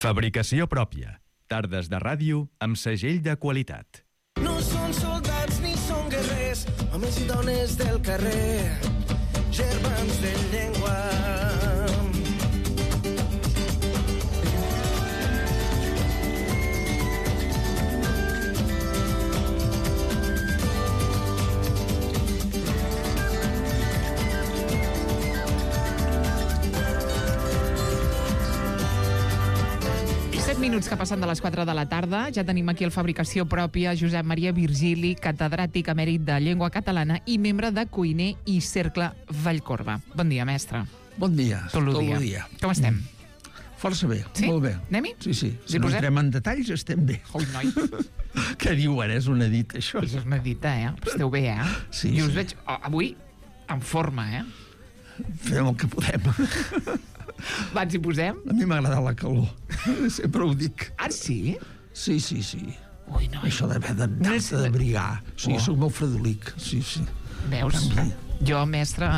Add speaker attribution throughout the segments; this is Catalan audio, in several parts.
Speaker 1: Fabricació pròpia. Tardes de ràdio amb segell de qualitat.
Speaker 2: No són soldats ni són guerrers, homes i dones del carrer, germans de llengua.
Speaker 3: Minuts que passen de les 4 de la tarda. Ja tenim aquí el Fabricació Pròpia, Josep Maria Virgili, catedràtic emèrit de Llengua Catalana i membre de Cuiner i Cercle Vallcorba. Bon dia, mestre.
Speaker 4: Bon dia.
Speaker 3: Tot el dia. Com estem?
Speaker 4: Força bé,
Speaker 3: sí?
Speaker 4: Molt bé.
Speaker 3: Anem-hi?
Speaker 4: Sí. Si no entrem en detalls, estem bé.
Speaker 3: Ui, noi.
Speaker 4: Què diuen? És una dita, això.
Speaker 3: És una dita, Esteu bé,
Speaker 4: Sí,
Speaker 3: I us veig avui en forma,
Speaker 4: Fem el que podem.
Speaker 3: Va, ens hi posem?
Speaker 4: A mi m'agrada la calor. Sempre ho dic.
Speaker 3: Ah, sí?
Speaker 4: Sí.
Speaker 3: Ui, noi.
Speaker 4: Això d'haver d'anar-te d'abrigar. Sí, soc molt fredolic. Sí.
Speaker 3: Veus? Jo, mestre...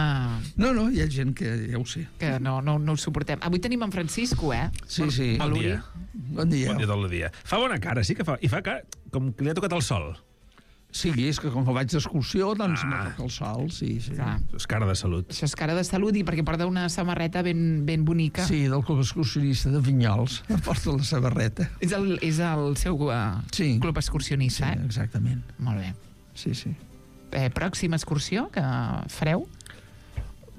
Speaker 4: No, hi ha gent que ja ho sé.
Speaker 3: Que no ho suportem. Avui tenim en Francisco,
Speaker 4: Sí.
Speaker 5: Bon dia.
Speaker 4: Bon dia.
Speaker 5: Bon dia tot el dia. Fa bona cara, sí que fa. I fa cara com que li ha tocat el sol.
Speaker 4: Sí, és que com que vaig d'excursió, doncs me toca el sol, sí.
Speaker 3: Clar.
Speaker 5: És cara de salut.
Speaker 3: Això és cara de salut i perquè porta una samarreta ben bonica.
Speaker 4: Sí, del club excursionista de Vinyols. Porta la samarreta.
Speaker 3: És el seu club excursionista,
Speaker 4: Sí, exactament.
Speaker 3: Molt bé.
Speaker 4: Sí.
Speaker 3: Pròxima excursió que fareu?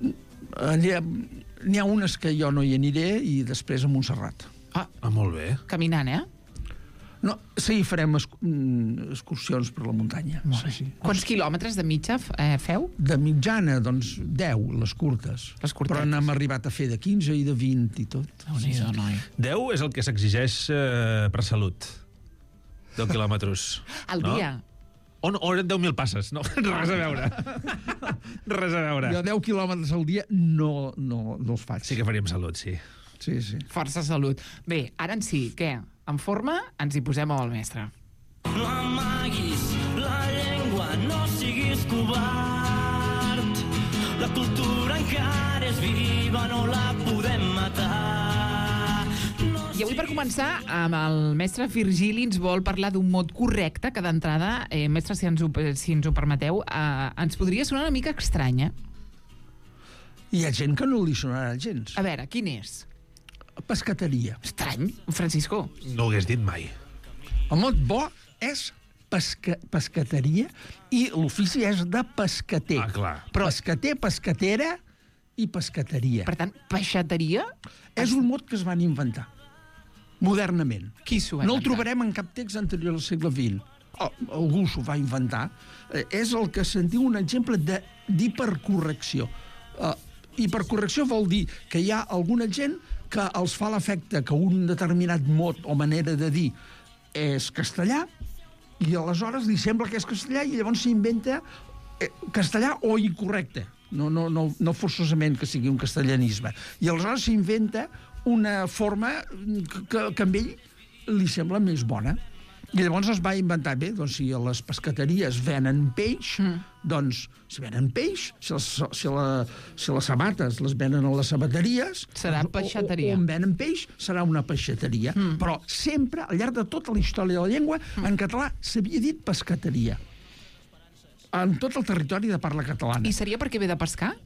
Speaker 4: N'hi ha unes que jo no hi aniré i després a Montserrat.
Speaker 5: Molt bé.
Speaker 3: Caminant,
Speaker 4: No, sí, farem excursions per la muntanya. Sí.
Speaker 3: Quants quilòmetres de mitja feu?
Speaker 4: De mitjana, doncs, 10, les curtes.
Speaker 3: Les curtetes.
Speaker 4: Però n'hem arribat a fer de 15 i de 20 i tot.
Speaker 3: Déu-n'hi-do, noi.
Speaker 5: 10 és el que s'exigeix per salut. 10 quilòmetres.
Speaker 3: Al dia?
Speaker 5: O eren 10.000 passes. No, res a veure. Res a veure.
Speaker 4: Jo 10 quilòmetres al dia no els faig.
Speaker 5: Sí que faríem salut, sí.
Speaker 4: Sí.
Speaker 3: Força salut. Bé, ara en sí, què? En forma, ens hi posem amb el mestre.
Speaker 2: No amaguis la llengua, no siguis covard. La cultura encara és viva, no la podem matar.
Speaker 3: I avui, per començar, amb el mestre Virgili ens vol parlar d'un mot correcte que d'entrada, mestre, si ens ho permeteu, ens podria sonar una mica estranya.
Speaker 4: Hi ha gent que no li sonarà gens.
Speaker 3: A veure, quin és?
Speaker 4: Pescateria.
Speaker 3: Estrany, Francisco.
Speaker 5: No ho hagués dit mai.
Speaker 4: El mot bo és pescateria i l'ofici és de pescater.
Speaker 5: Clar.
Speaker 4: Però pescater, pescatera i pescateria.
Speaker 3: Per tant, peixateria?
Speaker 4: És un mot que es van inventar modernament.
Speaker 3: Qui s'ho va inventar?
Speaker 4: No el trobarem en cap text anterior al segle XX. Algú s'ho va inventar. És el que se'n diu un exemple d'hipercorrecció. Hipercorrecció vol dir que hi ha alguna gent que els fa l'efecte que un determinat mot o manera de dir és castellà i aleshores li sembla que és castellà i llavors s'inventa castellà o incorrecte. No forçosament que sigui un castellanisme. I aleshores s'inventa una forma que a ell li sembla més bona. I llavors es va inventar, bé, doncs si a les pescateries venen peix, doncs si venen peix, si les sabates les venen a les sabateries...
Speaker 3: Serà peixateria.
Speaker 4: O on venen peix, serà una peixateria. Però sempre, al llarg de tota la història de la llengua, en català s'havia dit pescateria. En tot el territori de parla catalana.
Speaker 3: I seria perquè ve de pescar?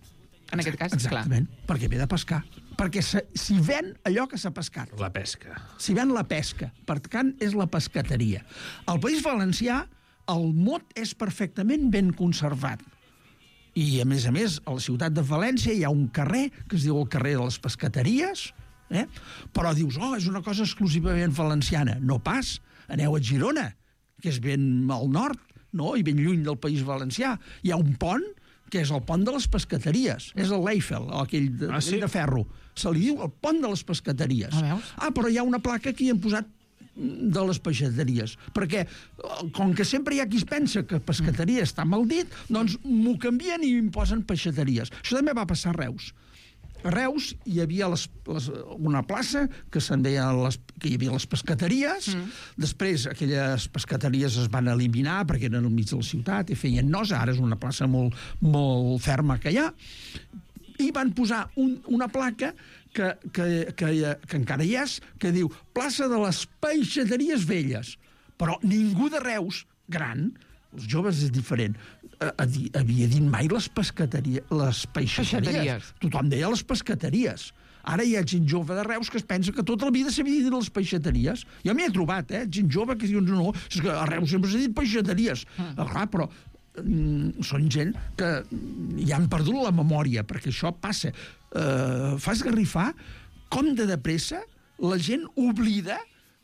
Speaker 3: En aquest cas,
Speaker 4: exactament,
Speaker 3: clar.
Speaker 4: Perquè ve de pescar. Perquè s'hi ven allò que s'ha pescat.
Speaker 5: La pesca.
Speaker 4: S'hi ven la pesca. Per tant, és la pescateria. Al País Valencià, el mot és perfectament ben conservat. I, a més, a la ciutat de València hi ha un carrer que es diu el carrer de les pescateries, però dius, és una cosa exclusivament valenciana. No pas. Aneu a Girona, que és ben al nord, no? I ben lluny del País Valencià. Hi ha un pont que és el pont de les pescateries. És el l'Eiffel, aquell de ferro. Se li diu el pont de les pescateries. Però hi ha una placa que hi han posat de les peixateries. Perquè, com que sempre hi ha qui es pensa que pescateria està mal dit, doncs m'ho canvien i em posen peixateries. Això també va passar a Reus. A Reus hi havia una plaça que se'n deia que hi havia les pescateries. Després aquelles pescateries es van eliminar perquè eren al mig de la ciutat i feien nosa. Ara és una plaça molt, molt ferma que hi ha. I van posar una placa que encara hi és, que diu plaça de les Peixateries Velles. Però ningú de Reus, gran, els joves és diferent, havia dit mai les peixateries. Tothom deia les pescateries. Ara hi ha gent jove de Reus que es pensa que tota la vida s'havia dit les peixateries. Jo m'hi he trobat, gent jove que diu no, és que a Reus sempre s'ha dit peixateries. Clar, però són gent que ja han perdut la memòria, perquè això passa. Fa esgarrifar com de pressa la gent oblida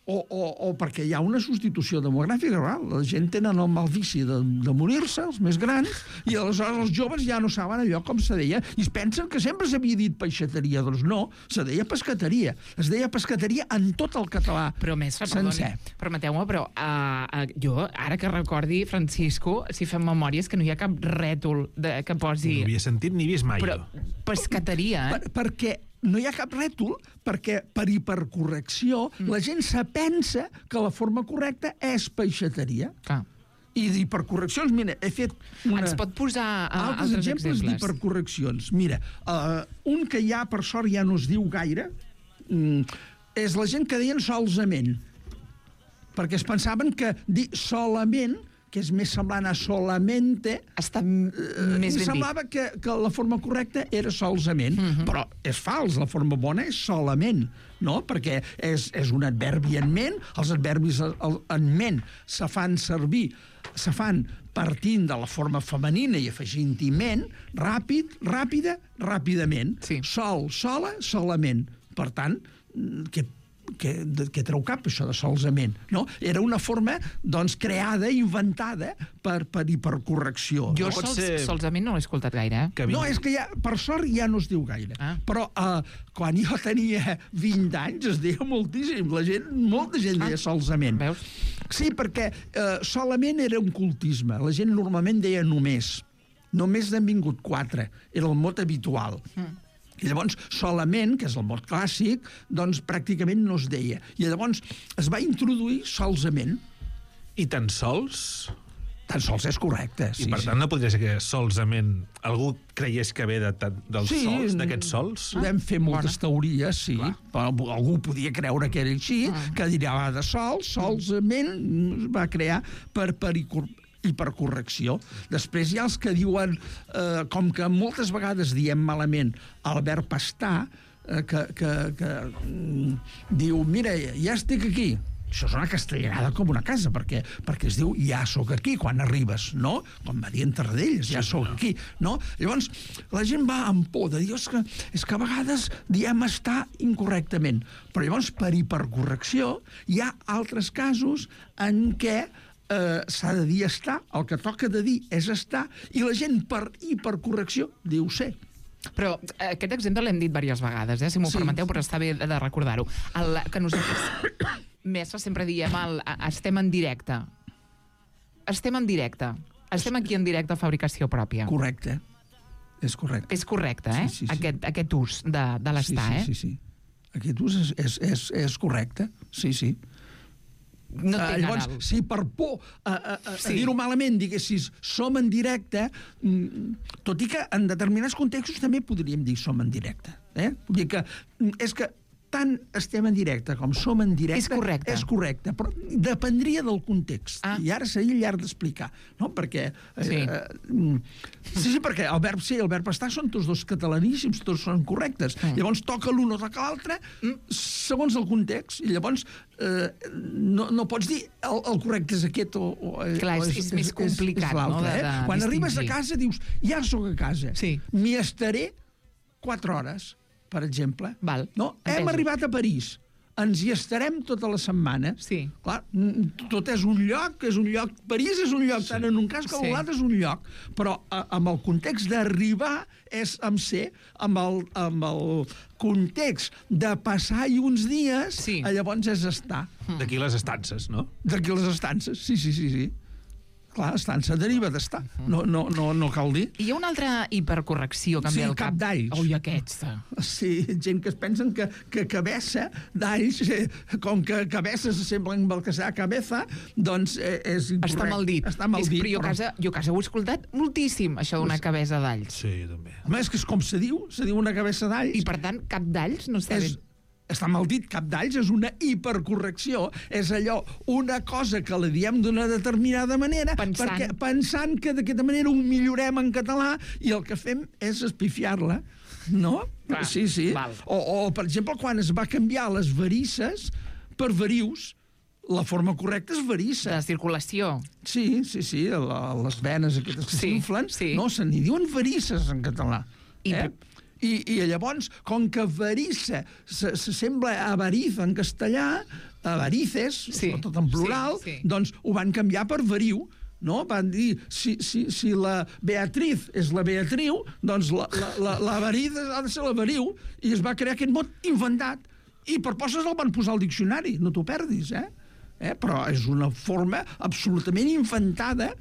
Speaker 4: o perquè hi ha una substitució demogràfica. La gent tenen el mal vici de morir-se, els més grans, i aleshores els joves ja no saben allò com se deia, i es pensen que sempre s'havia dit peixateria. Doncs no, se deia pescateria. Es deia pescateria en tot el català sencer.
Speaker 3: Permeteu-me, però jo, ara que recordi, Francisco, si fem memòries, que no hi ha cap rètol que posi...
Speaker 5: No havia sentit ni vist mai,
Speaker 3: però, pescateria,
Speaker 4: perquè no hi ha cap rètol, perquè per hipercorrecció la gent se pensa que la forma correcta és peixateria. I d'hipercorreccions, mira, he fet
Speaker 3: Ens pot posar altres exemples
Speaker 4: d'hipercorreccions. Mira, un que ja, per sort, ja no es diu gaire, és la gent que deien solament, perquè es pensaven que dir solament, que és més semblant a solamente,
Speaker 3: està més ben dit.
Speaker 4: Semblava que la forma correcta era solament, però és fals, la forma bona és solament, no? Perquè és un adverbi en ment, els adverbis en ment se fan servir, se fan partint de la forma femenina i afegint-hi ment, ràpid, ràpida, ràpidament.
Speaker 3: Sí.
Speaker 4: Sol, sola, solament. Per tant, que treu cap, això de solament, no? Era una forma, doncs, creada, inventada per hipercorrecció.
Speaker 3: Jo solament no l'he escoltat gaire,
Speaker 4: No, és que ja, per sort ja no es diu gaire. Però quan jo tenia 20 anys es deia moltíssim. Molta gent deia solament.
Speaker 3: Veus?
Speaker 4: Sí, perquè solament era un cultisme. La gent normalment deia només. Només n'han vingut 4. Era el mot habitual. I llavors, solament, que és el mot clàssic, doncs pràcticament no es deia. I llavors es va introduir solament.
Speaker 5: I tan sols?
Speaker 4: Tan sols és correcte, sí.
Speaker 5: I per tant no podria ser que solament algú creiés que ve dels sols, d'aquests sols?
Speaker 4: Podem fer moltes teories, sí. Però algú podia creure que era així, que diria de solament va crear per hipercorrecció. Després hi ha els que diuen, com que moltes vegades diem malament el verb estar, que diu, mira, ja estic aquí. Això és una castellanada com una casa, perquè es diu ja sóc aquí quan arribes, no? Com va dir en Tarradellas, ja sóc aquí, no? Llavors, la gent va amb por de dir, és que a vegades diem estar incorrectament. Però llavors, per hipercorrecció, hi ha altres casos en què s'ha de dir estar, el que toca de dir és estar, i la gent per hipercorrecció diu ser.
Speaker 3: Però aquest exemple l'hem dit diverses vegades, si m'ho permeteu, però està bé de recordar-ho. Que nosaltres, mestre, sempre diem estem en directe. Estem en directe. Estem aquí en directe a fabricació pròpia.
Speaker 4: Correcte. És correcte.
Speaker 3: És correcte,
Speaker 4: Sí.
Speaker 3: Aquest ús de l'estar,
Speaker 4: Sí. Aquest ús és correcte. Sí.
Speaker 3: No tinc
Speaker 4: llavors, si per por a dir-ho malament diguessis som en directe, tot i que en determinats contextos també podríem dir som en directe. Vull dir que és que tant estem en directe com som en directe és correcte, però dependria del context. I ara seria llarg d'explicar, no? Perquè perquè el verb ser i el verb estar són tots dos catalaníssims, tots són correctes. Llavors toca l'un o toca l'altre segons el context, i llavors no pots dir el correcte és aquest o
Speaker 3: clar, és més complicat, no?
Speaker 4: Quan arribes a casa dius ja sóc a casa, m'hi estaré 4 hores, per exemple. Hem arribat a París, ens hi estarem tota la setmana. Clar, tot és un lloc, París és un lloc, tant en un cas com en l'altre és un lloc, però amb el context d'arribar és amb ser, amb el context de passar-hi uns dies, llavors és estar.
Speaker 5: D'aquí les estances, no?
Speaker 4: D'aquí les estances, sí. Clar, estança deriva d'estar. No cal dir.
Speaker 3: I hi ha una altra hipercorrecció que em ve al cap.
Speaker 4: Cap d'alls.
Speaker 3: Ui, aquesta.
Speaker 4: Sí, gent que es pensen que cabeza d'alls, com que cabeza s'assembla amb el que serà cabeza, doncs és incorrecte.
Speaker 3: Està mal dit.
Speaker 4: Està mal dit.
Speaker 3: Però jo a casa ho he escoltat moltíssim, això d'una cabeza d'alls.
Speaker 5: Sí, jo també.
Speaker 4: Home, és que és com se diu una cabeza d'alls.
Speaker 3: I, per tant, cap d'alls no està bé.
Speaker 4: Està mal dit, cap d'alls és una hipercorrecció, és allò, una cosa que la diem d'una determinada manera, pensant que d'aquesta manera ho millorem en català i el que fem és espifiar-la, no?
Speaker 3: Clar,
Speaker 4: sí. O, per exemple, quan es va canviar les varices per varius, la forma correcta és varissa.
Speaker 3: De circulació.
Speaker 4: Sí, les venes aquestes que s'inflen, no, se n'hi diuen varices en català. I llavors, com que varissa s'assembla a avariz en castellà, avarices, sobretot en plural, doncs ho van canviar per variu, no? Van dir, si la Beatriz és la Beatriu, doncs l'avariz ha de ser la variu, i es va crear aquest mot inventat. I per poses el van posar al diccionari, no t'ho perdis, però és una forma absolutament inventada,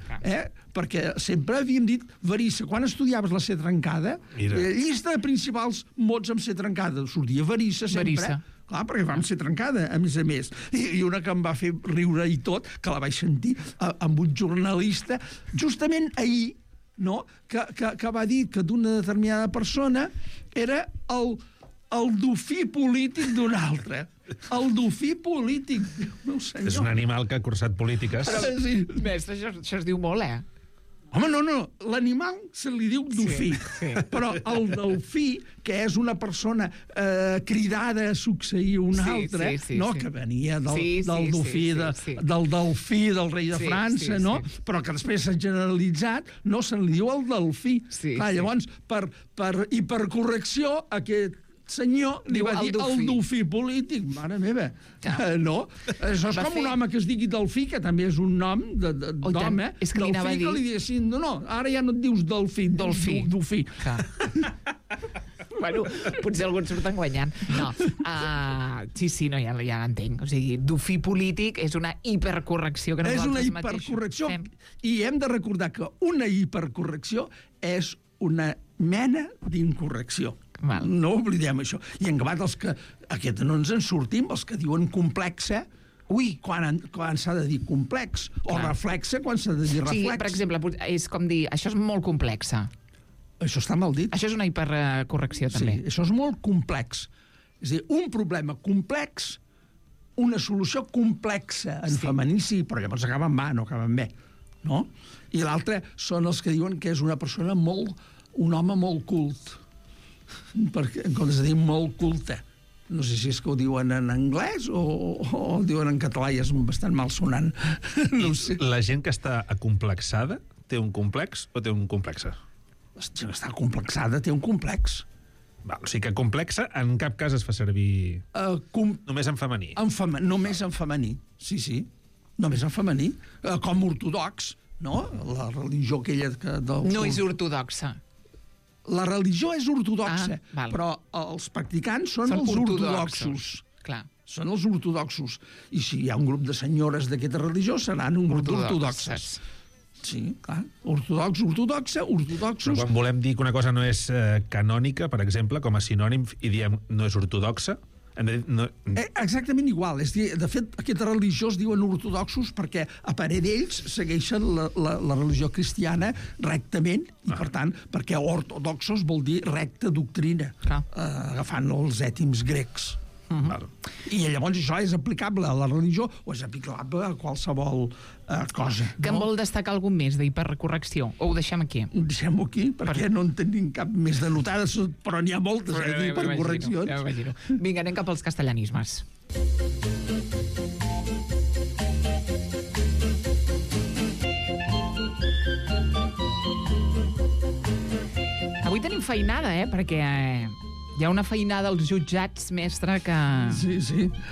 Speaker 4: perquè sempre havíem dit varissa. Quan estudiaves la C trencada, la llista de principals mots amb C trencada sortia varissa sempre. Clar, perquè vam ser trencada, a més. I una que em va fer riure i tot, que la vaig sentir amb un jornalista, justament ahir, no? que va dir que d'una determinada persona era el dofí polític d'un altre. El dofí polític, meu senyor.
Speaker 5: És un animal que ha cursat polítiques.
Speaker 3: Mestre, això es diu molt,
Speaker 4: Home, no, l'animal se li diu dofí, però el delfí, que és una persona cridada a succeir una altra, que venia del dofí, del delfí del rei de França, no? Però que després s'ha generalitzat, no se li diu el delfí. Llavors, per hipercorrecció, aquest senyor li va dir el dofí polític. Mare meva, no? Això és com un home que es digui Delfí, que també és un nom d'home.
Speaker 3: És que li anava a dir...
Speaker 4: Delfí que li diguessin, no, ara ja no et dius Delfí, Dofí.
Speaker 3: Bueno, potser algú et surten guanyant. No, sí, no, ja l'entenc. O sigui, dofí polític és una hipercorrecció que nosaltres mateixos... És una hipercorrecció, i hem de recordar que una hipercorrecció és una mena d'incorrecció. No oblidem això. I en acabat els que... Aquest no ens en sortim, els que diuen complexa, quan s'ha de dir complex, o reflexa quan s'ha de dir reflex. Sí, per exemple, és com dir, això és molt complexa.
Speaker 4: Això està mal dit.
Speaker 3: Això és una hipercorrecció, també.
Speaker 4: Sí, això és molt complex. És a dir, un problema complex, una solució complexa en femení, sí, però llavors acaba en A, no acaba en B. No? I l'altre són els que diuen que és una persona un home molt cult. Perquè, en comptes de dir molt culte, no sé si és que ho diuen en anglès o ho diuen en català i és bastant malsonant. No ho sé.
Speaker 5: La gent que està acomplexada té un complex o té un complexe?
Speaker 4: La gent que està complexada té un complex.
Speaker 5: O sigui que complexa en cap cas es fa servir només en femení.
Speaker 4: Només en femení, sí. Només en femení. Com ortodox, no? La religió aquella...
Speaker 3: No és ortodoxa.
Speaker 4: La religió és ortodoxa, però els practicants són els ortodoxos.
Speaker 3: Clar.
Speaker 4: Són els ortodoxos. I si hi ha un grup de senyores d'aquesta religió, seran un grup d'ortodoxes. Sí, clar. Ortodoxos.
Speaker 5: Però quan volem dir que una cosa no és canònica, per exemple, com a sinònim, i diem no és ortodoxa,
Speaker 4: exactament igual. És dir, de fet, aquesta religió es diuen ortodoxos perquè a parer d'ells segueixen la religió cristiana rectament i, per tant, perquè ortodoxos vol dir recta doctrina, agafant els ètims grecs. I llavors això és aplicable a la religió o és aplicable a qualsevol cosa.
Speaker 3: Que en vol destacar algun més d'hipercorrecció? O ho deixem aquí?
Speaker 4: Ho deixem aquí, perquè no en tenim cap més de notades, però n'hi ha moltes d'hipercorreccions.
Speaker 3: Ja m'imagino. Vinga, anem cap als castellanismes. Avui tenim feinada, perquè... Hi ha una feinada als jutjats, mestre, que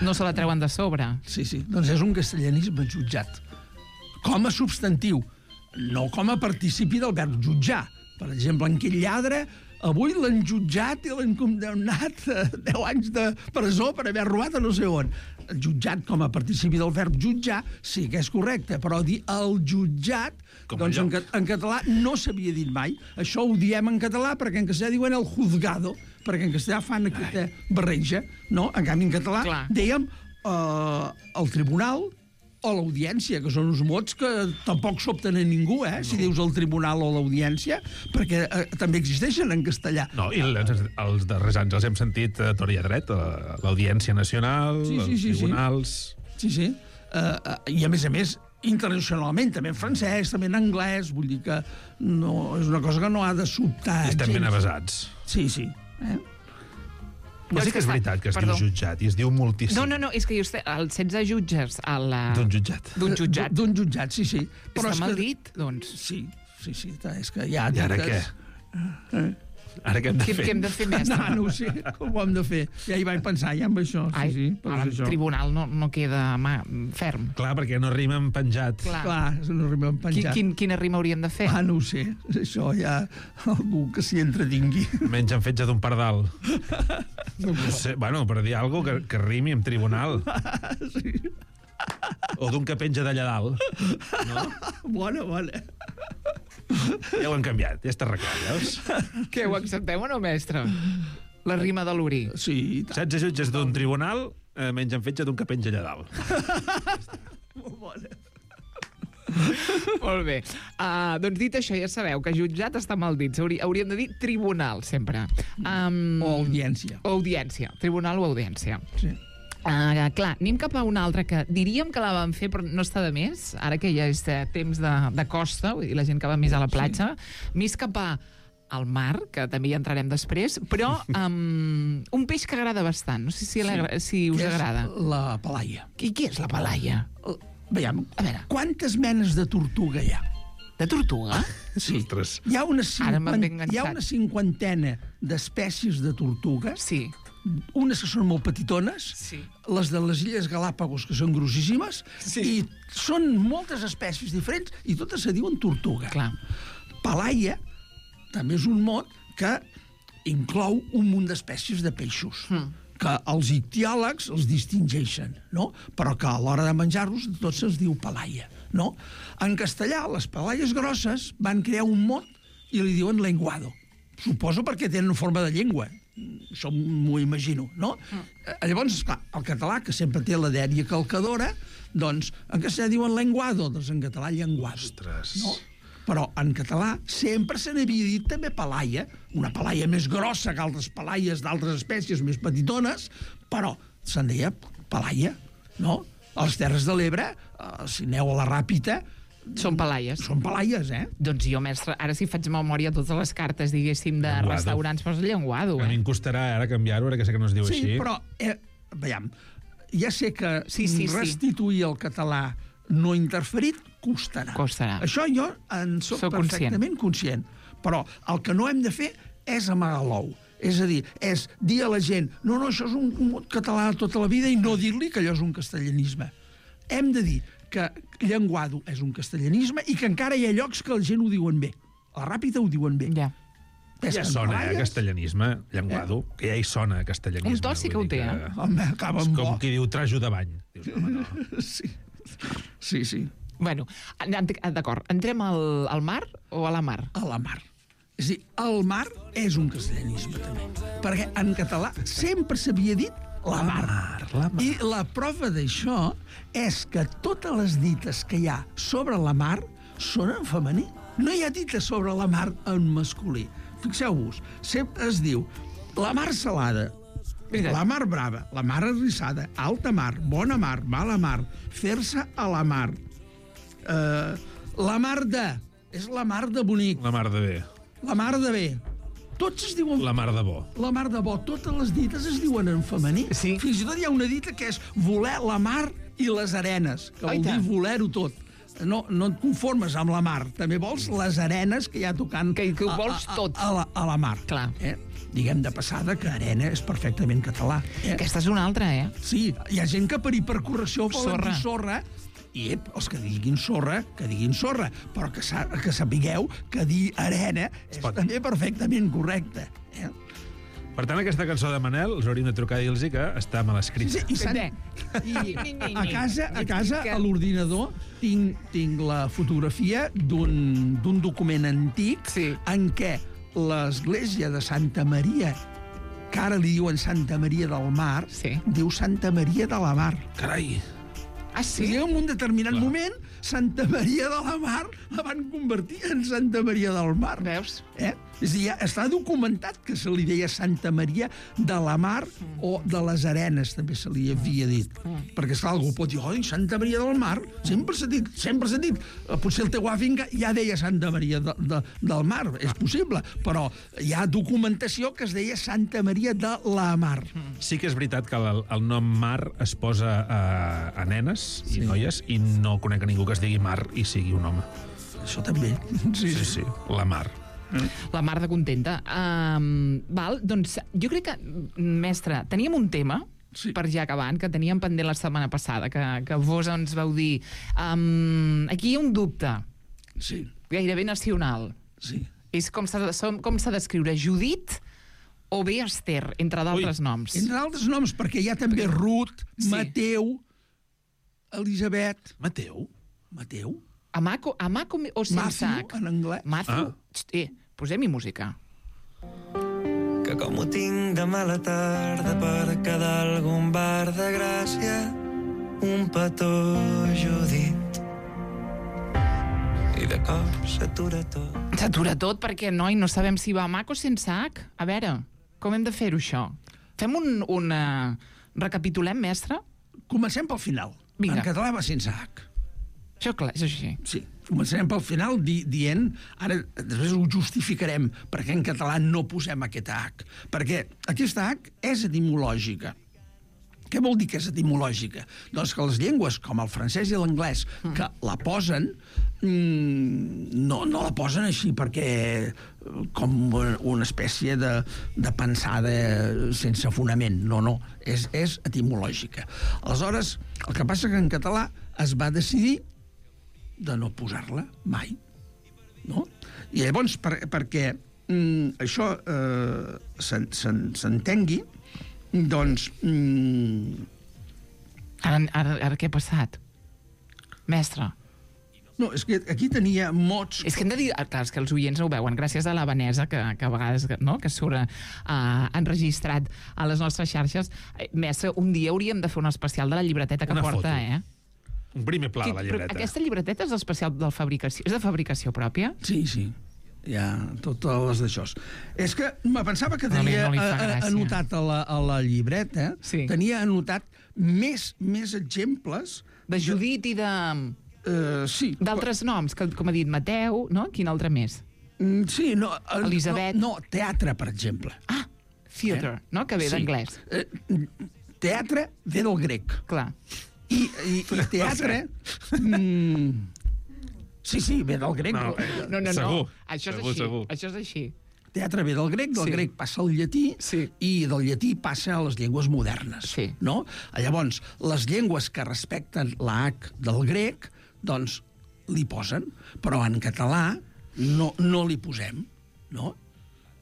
Speaker 3: no se la treuen de sobre.
Speaker 4: Sí, doncs és un castellanisme jutjat. Com a substantiu, no com a participi del verb jutjar. Per exemple, en aquell lladre, avui l'han jutjat i l'han condemnat a 10 anys de presó per haver robat a no sé on. Jutjat com a participi del verb jutjar, sí que és correcte, però dir el jutjat, doncs en català no s'havia dit mai. Això ho diem en català perquè en castellà diuen el juzgado, perquè en castellà fan aquesta barreja, no? En canvi, en català dèiem el tribunal o l'audiència, que són uns mots que tampoc s'opten a ningú, si dius el tribunal o l'audiència, perquè també existeixen en castellà.
Speaker 5: No, i els darrers anys els hem sentit a tort i a dret, l'Audiència Nacional, els tribunals...
Speaker 4: Sí. I a més, internacionalment, també en francès, també en anglès, vull dir que no, és una cosa que no ha de sobtar.
Speaker 5: Estem ben avasats.
Speaker 4: Sí.
Speaker 5: Ja sí que és veritat que es diu jutjat i es diu moltíssim.
Speaker 3: No, és que els 16 jutges...
Speaker 5: D'un jutjat.
Speaker 4: D'un jutjat, sí.
Speaker 3: Està mal dit, doncs.
Speaker 4: Sí, és que hi ha...
Speaker 5: I ara què? Ara què hem de fer?
Speaker 3: Què hem de fer, mestre?
Speaker 4: No ho sé, com ho hem de fer. Ja hi vaig pensar, amb això. Sí,
Speaker 3: el tribunal no queda ferm.
Speaker 5: Clar, perquè no rima amb penjat.
Speaker 4: Clar, no rima amb penjat.
Speaker 3: Quina rima hauríem de fer?
Speaker 4: No ho sé. Això hi ha algú que s'hi entretingui.
Speaker 5: Menys en fetge d'un pardal. No sé, bueno, per dir alguna cosa que rimi amb tribunal.
Speaker 4: Sí.
Speaker 5: O d'un que penja d'allà dalt. No?
Speaker 4: Bona.
Speaker 5: Ja ho han canviat, ja està arreglat, veus?
Speaker 3: Què, ho acceptem o no, mestre? La rima de l'Uri.
Speaker 4: Sí.
Speaker 5: 16 jutges d'un tribunal, menys en fetge d'un que penja allà dalt.
Speaker 4: Molt bona.
Speaker 3: Molt bé. Doncs dit això, ja sabeu que jutjat està mal dit. Hauríem de dir tribunal, sempre.
Speaker 4: O audiència.
Speaker 3: O audiència. Tribunal o audiència.
Speaker 4: Sí.
Speaker 3: Clar, anem cap a una altra que diríem que la vam fer, però no està de més, ara que ja és temps de costa, vull dir, la gent que va més a la platja, més cap al mar, que també hi entrarem després, però un peix que agrada bastant. No sé si us agrada.
Speaker 4: La palaia.
Speaker 3: I què és la palaia?
Speaker 4: Veiem,
Speaker 3: a veure,
Speaker 4: quantes menes de tortuga hi ha?
Speaker 3: De tortuga?
Speaker 4: Sí.
Speaker 5: Ostres.
Speaker 4: Hi ha una cinquantena d'espècies de tortugues.
Speaker 3: Sí.
Speaker 4: Unes que són molt petitones, les de les Illes Galàpagos, que són grossíssimes, i són moltes espècies diferents, i totes se diuen tortuga.
Speaker 3: Clar.
Speaker 4: Palaia també és un mot que inclou un munt d'espècies de peixos, que els ictiòlegs els distingeixen, no? Però que a l'hora de menjar-los tot se'ls diu palaia, no? En castellà, les palaies grosses van crear un mot i li diuen lenguado. Suposo perquè tenen forma de llengua. Això m'ho imagino, no? Llavors, esclar, el català, que sempre té la dèria calcadora, doncs en castellà diuen lenguado, doncs en català llenguado.
Speaker 5: Ostres.
Speaker 4: No? Però en català sempre se n'havia dit també palaia, una palaia més grossa que altres palaies d'altres espècies més petitones, però se'n deia palaia, no? A les Terres de l'Ebre, si aneu a la Ràpita,
Speaker 3: són palaies.
Speaker 4: Són palaies,
Speaker 3: Doncs jo, mestre, ara si faig memòria totes les cartes, diguéssim, de restaurants, posa llenguado,
Speaker 5: A mi em costarà ara canviar-ho, ara que sé que no es diu així.
Speaker 4: Sí, però, veiem, ja sé que restituir el català no interferit costarà. Això jo en soc perfectament conscient. Però el que no hem de fer és amagar l'ou. És a dir, és dir a la gent no, això és un mot català tota la vida i no dir-li que allò és un castellanisme. Hem de dir que llenguado és un castellanisme i que encara hi ha llocs que la gent ho diuen bé. A la Ràpita ho diuen bé.
Speaker 3: Ja.
Speaker 5: Ja sona a castellanisme, llenguado, que ja hi sona a castellanisme.
Speaker 3: Un to sí que ho té,
Speaker 4: Home, acaba amb bo.
Speaker 5: Com qui diu trajo de bany. Dius, home, no.
Speaker 4: Sí.
Speaker 3: Bueno, d'acord, entrem al mar o a la mar?
Speaker 4: A la mar. És a dir, el mar és un castellanisme, també. Perquè en català sempre s'havia dit la mar. I la prova d'això és que totes les dites que hi ha sobre la mar són en femení. No hi ha dites sobre la mar en masculí. Fixeu-vos, sempre es diu la mar salada, la mar brava, la mar arrissada, alta mar, bona mar, mala mar, fer-se a la mar. La mar de... És la mar de bonic.
Speaker 5: La mar de bé.
Speaker 4: La mar de bé. Tots es diuen...
Speaker 5: La mar de bo.
Speaker 4: La mar de bo. Totes les dites es diuen en femení.
Speaker 3: Sí.
Speaker 4: Fins i tot hi ha una dita que és voler la mar i les arenes, que vol dir voler-ho tot. No et conformes amb la mar. També vols les arenes que hi ha tocant...
Speaker 3: Que ho vols tot.
Speaker 4: A la mar.
Speaker 3: Clar.
Speaker 4: Diguem de passada que arena és perfectament català.
Speaker 3: Aquesta és una altra,
Speaker 4: Sí, hi ha gent que per correcció volen dir sorra I els que diguin sorra, però que sapigueu que dir arena és també perfectament correcte.
Speaker 5: Per tant, aquesta cançó de Manel, us hauríem de trucar i dir-los que està mal escrita.
Speaker 4: I a casa, a l'ordinador, tinc la fotografia d'un document antic en què l'església de Santa Maria, que ara li diuen Santa Maria del Mar, diu Santa Maria de la Mar.
Speaker 5: Carai!
Speaker 3: Ah, sí?
Speaker 4: I en un determinat moment, Santa Maria de la Mar la van convertir en Santa Maria del Mar.
Speaker 3: Veus?
Speaker 4: És a dir, ja està documentat que se li deia Santa Maria de la Mar o de les Arenes, també se li havia dit. Perquè, esclar, algú pot dir, oi, Santa Maria del Mar, sempre s'ha dit. Potser el teu avi ja deia Santa Maria del Mar, és possible, però hi ha documentació que es deia Santa Maria de la Mar.
Speaker 5: Sí que és veritat que el nom Mar es posa a nenes i noies, i no conec a ningú que es digui Mar i sigui un home.
Speaker 4: Això també.
Speaker 5: Sí, la Mar.
Speaker 3: La mar de contenta. Doncs jo crec que, mestre, teníem un tema per ja acabant, que teníem pendent la setmana passada, que vos ens vau dir. Aquí hi ha un dubte.
Speaker 4: Sí.
Speaker 3: Gairebé nacional.
Speaker 4: Sí.
Speaker 3: És com s'ha d'escriure Judit o bé Esther, entre d'altres noms.
Speaker 4: Entre d'altres noms, perquè hi ha també Ruth, Mateu, Elisabet...
Speaker 5: Mateu?
Speaker 3: Amaco o sense H?
Speaker 4: Matthew, en anglès.
Speaker 3: Matthew? Posem-hi música.
Speaker 2: Que com ho tinc de mala tarda per quedar a algun bar de Gràcia, un petó Judit. I de cop s'atura tot.
Speaker 3: S'atura tot perquè, noi, no sabem si va Amac o sense H. A veure, com hem de fer-ho, això? Fem un recapitulem, mestre?
Speaker 4: Comencem pel final.
Speaker 3: Vinga.
Speaker 4: En català va sense H.
Speaker 3: Això clar, és així.
Speaker 4: Sí, començarem pel final dient... Ara, després ho justificarem perquè en català no posem aquesta H. Perquè aquesta H és etimològica. Què vol dir que és etimològica? Doncs que les llengües, com el francès i l'anglès, que la posen, no la posen així perquè com una espècie de pensada sense fonament. No, és etimològica. Aleshores, el que passa que en català es va decidir de no posar-la mai. No? I llavors, perquè això s'entengui, doncs...
Speaker 3: Ara què ha passat? Mestre.
Speaker 4: No, és que aquí tenia mots...
Speaker 3: És que hem de dir... Clar, és que els oients no ho veuen, gràcies a la Vanessa, que a vegades que surt enregistrat a les nostres xarxes. Mestre, un dia hauríem de fer un especial de la llibreteta que porta,
Speaker 5: Un primer pla de la llibreta.
Speaker 3: Però aquesta llibreteta és especial de fabricació? És de fabricació pròpia?
Speaker 4: Sí. Hi ha totes les d'això. És que me pensava que tenia anotat a la llibreta, tenia anotat més exemples...
Speaker 3: De Judit i de...
Speaker 4: Sí.
Speaker 3: D'altres noms, com ha dit Mateu, no? Quin altre més?
Speaker 4: Sí, no...
Speaker 3: Elisabet.
Speaker 4: No, teatre, per exemple.
Speaker 3: Ah, theatre, no? Que ve d'anglès.
Speaker 4: Teatre ve del grec.
Speaker 3: Clar.
Speaker 4: I teatre... Sí, ve del grec.
Speaker 3: No.
Speaker 5: Segur.
Speaker 3: Això és així.
Speaker 4: Teatre ve del grec passa al llatí i del llatí passa a les llengües modernes.
Speaker 3: Sí.
Speaker 4: No? Llavors, les llengües que respecten la H del grec, doncs li posen, però en català no li posem, no?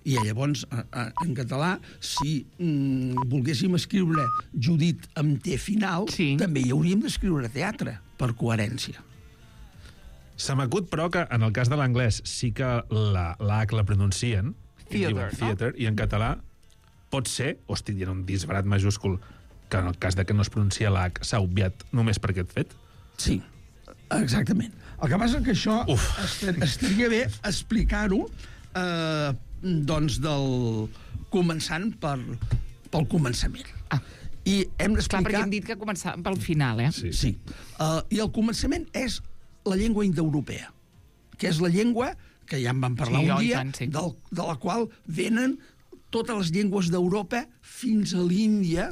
Speaker 4: I llavors, en català, si volguéssim escriure Judit amb T final, també hi hauríem d'escriure teatre, per coherència.
Speaker 5: Se m'acut, però, que en el cas de l'anglès sí que la H la pronuncien, theater, i en català pot ser, o estic dient un disbarat majúscul, que en el cas de que no es pronuncia la H s'ha obviat només per aquest fet?
Speaker 4: Sí, exactament. El que passa que això estaria bé explicar-ho doncs començant pel començament. I hem d'explicar...
Speaker 3: Clar, perquè hem dit que començàvem pel final,
Speaker 4: Sí. I el començament és la llengua indoeuropea, que és la llengua que ja en vam parlar un dia, de la qual venen totes les llengües d'Europa fins a l'Índia,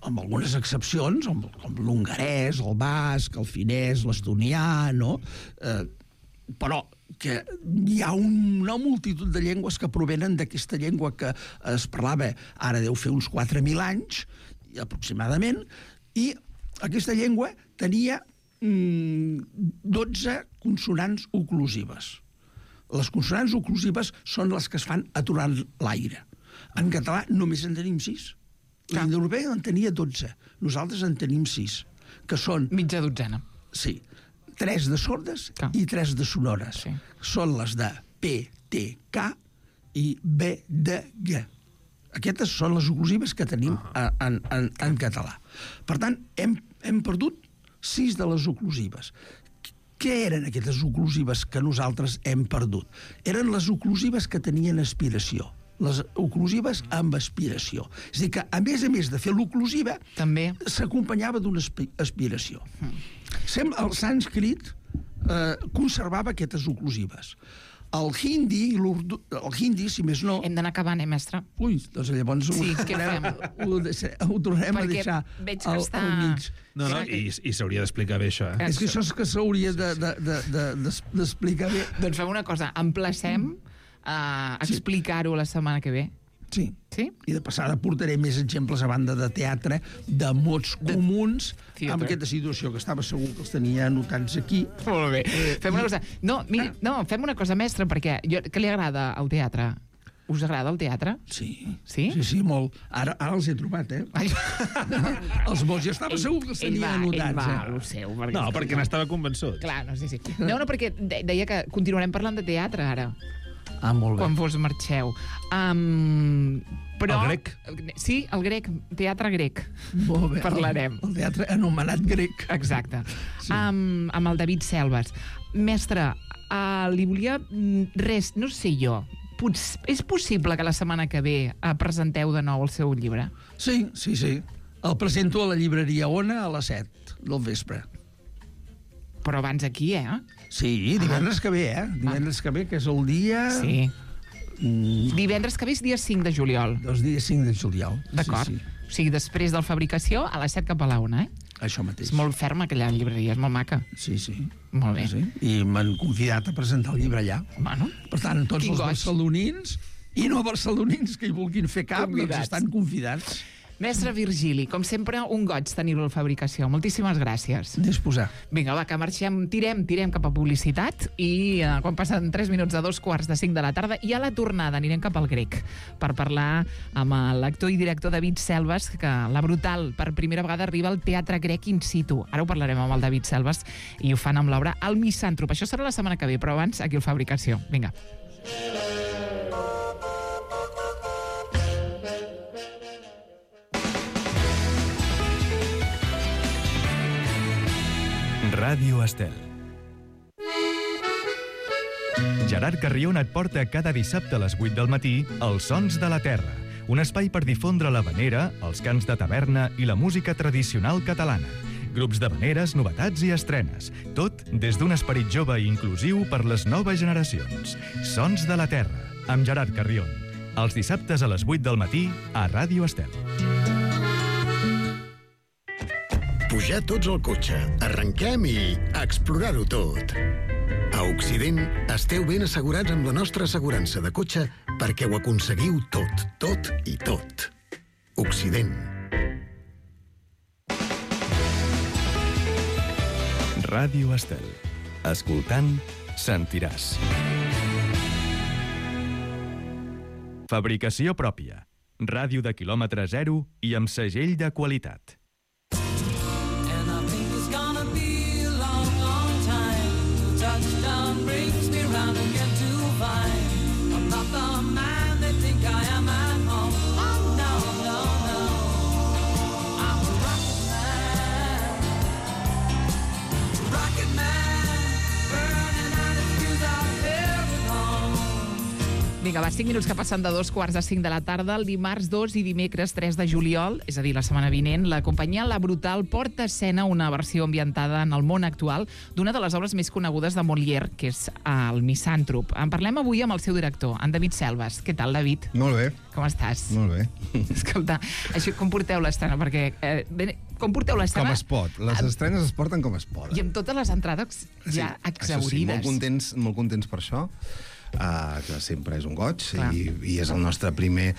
Speaker 4: amb algunes excepcions, com l'hongarès, el basc, el finès, l'estonià, no? Però que hi ha una multitud de llengües que provenen d'aquesta llengua que es parlava, ara deu fer uns 4.000 anys, aproximadament, i aquesta llengua tenia 12 consonants oclusives. Les consonants oclusives són les que es fan aturant l'aire. En català només en tenim 6. L'indoeuropeu en tenia 12. Nosaltres en tenim 6, que són...
Speaker 3: Mitja dotzena.
Speaker 4: Sí. 3 de sordes i 3 de sonores.
Speaker 3: Sí.
Speaker 4: Són les de P, T, K i B, D, G. Aquestes són les oclusives que tenim en català. Per tant, hem perdut 6 de les oclusives. Què eren aquestes oclusives que nosaltres hem perdut? Eren les oclusives que tenien aspiració. Les oclusives amb aspiració. És a dir, que a més de fer l'oclusiva,
Speaker 3: també
Speaker 4: s'acompanyava d'una aspiració. El sànscrit conservava aquestes oclusives. El hindi, si més no...
Speaker 3: Hem d'anar acabant, mestre?
Speaker 4: Ui, doncs llavors
Speaker 3: sí, què fem?
Speaker 4: Ho tornem a deixar al mig.
Speaker 5: No, i s'hauria d'explicar bé, això.
Speaker 4: És que això és que s'hauria d'explicar bé.
Speaker 3: Doncs fem una cosa, emplacem a explicar-ho la setmana que ve.
Speaker 4: Sí. I de passada portaré més exemples a banda de teatre, de mots comuns, amb aquesta situació, que estava segur que els tenia anotats aquí.
Speaker 3: Molt bé. Fem una cosa. Fem una cosa, mestre, perquè què li agrada al teatre? Us agrada el teatre?
Speaker 4: Sí.
Speaker 3: Sí?
Speaker 4: Sí, molt. Ara els he trobat, Els mots ja estava segur que els tenia anotats.
Speaker 3: Ho seu.
Speaker 5: Perquè n'estava convençut.
Speaker 3: Clar, sí. No, perquè deia que continuarem parlant de teatre, ara.
Speaker 4: Molt bé.
Speaker 3: Quan vos marxeu. Però...
Speaker 5: El grec.
Speaker 3: Sí, el grec. Teatre grec.
Speaker 4: Molt bé.
Speaker 3: Parlarem.
Speaker 4: El teatre anomenat grec.
Speaker 3: Exacte. Sí. Amb el David Selves. Mestre, li volia... Res, no sé jo. És possible que la setmana que ve presenteu de nou el seu llibre?
Speaker 4: Sí. El presento a la llibreria Ona a les 7 del vespre.
Speaker 3: Però abans aquí,
Speaker 4: Sí, divendres que ve, Divendres que ve, que és el dia...
Speaker 3: Sí. Divendres que ve és dia 5 de juliol.
Speaker 4: El dia 5 de juliol.
Speaker 3: D'acord.
Speaker 4: Sí.
Speaker 3: O sigui, després del Fabricació, a les 7 cap a la 1,
Speaker 4: Això mateix.
Speaker 3: És molt ferma aquella llibreria, és molt maca.
Speaker 4: Sí.
Speaker 3: Molt bé.
Speaker 4: Sí. I m'han convidat a presentar el llibre allà.
Speaker 3: Bueno.
Speaker 4: Per tant, tots els barcelonins i no barcelonins que hi vulguin fer cap, doncs estan convidats.
Speaker 3: Mestre Virgili, com sempre, un goig tenir-lo a la Fabricació. Moltíssimes gràcies.
Speaker 4: Disposar.
Speaker 3: Vinga, va, que marxem, tirem cap a publicitat i quan passen 3 minuts de 2:45 de la tarda i a la tornada anirem cap al grec per parlar amb l'actor i director David Selves, que la Brutal per primera vegada arriba al teatre grec in situ. Ara ho parlarem amb el David Selves i ho fan amb l'obra El Misàntrop. Això serà la setmana que ve, però abans aquí al Fabricació. Vinga.
Speaker 1: Ràdio Estel. Gerard Carrion et porta cada dissabte a les 8 del matí Els Sons de la Terra, un espai per difondre l'havanera, els cants de taverna i la música tradicional catalana. Grups d'havaneres, novetats i estrenes. Tot des d'un esperit jove i inclusiu per les noves generacions. Sons de la Terra, amb Gerard Carrion. Els dissabtes a les 8 del matí a Ràdio Estel.
Speaker 6: Pujar tots al cotxe, arrenquem i explorar-ho tot. A Occident esteu ben assegurats amb la nostra assegurança de cotxe perquè ho aconseguiu tot i tot. Occident.
Speaker 1: Ràdio Estel. Escoltant, sentiràs. Fabricació pròpia. Ràdio de quilòmetre zero i amb segell de qualitat.
Speaker 3: Vinga, va, 5 minuts que passen de 2:45 de la tarda, el dimarts 2 i dimecres 3 de juliol, és a dir, la setmana vinent, la companyia La Brutal porta a escena una versió ambientada en el món actual d'una de les obres més conegudes de Molière, que és El Misàntrop. En parlem avui amb el seu director, en David Selves. Què tal, David?
Speaker 7: Molt bé.
Speaker 3: Com estàs?
Speaker 7: Molt bé.
Speaker 3: Escolta, això, com porteu l'estrena? Perquè... com porteu l'estrena?
Speaker 7: Com es pot. Les estrenes es porten com es poden.
Speaker 3: I amb totes les entrades ja exhaurides.
Speaker 7: Sí, molt contents per això. que sempre és un goig, i és el nostre primer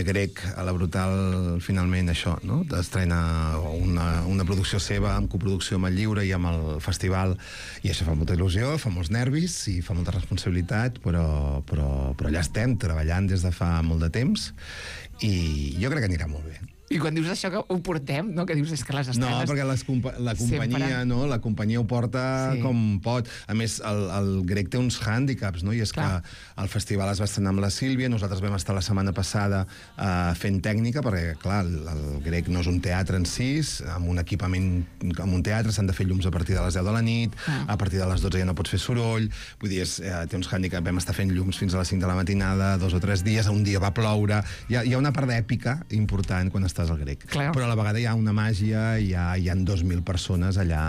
Speaker 7: grec a la Brutal, finalment això, no? Estrena una producció seva amb coproducció amb el Lliure i amb el festival, i això fa molta il·lusió, fa molts nervis i fa molta responsabilitat, però allà estem treballant des de fa molt de temps i jo crec que anirà molt bé.
Speaker 3: I quan dius això que ho portem, no? Que dius és que les estrenes...
Speaker 7: No, perquè la companyia, no? La companyia ho porta com pot. A més, el grec té uns hàndicaps, no? I és que el festival es va estrenar amb la Sílvia, nosaltres vam estar la setmana passada fent tècnica, perquè, clar, el grec no és un teatre en si, amb un equipament, amb un teatre s'han de fer llums a partir de les 10 de la nit, a partir de les 12 ja no pots fer soroll, vull dir, té uns hàndicaps, vam estar fent llums fins a les 5 de la matinada, 2 o 3 dies, un dia va ploure, hi ha una part d'èpica important quan estàs al grec. Clar. Però a la vegada hi ha una màgia, hi ha 2.000 persones allà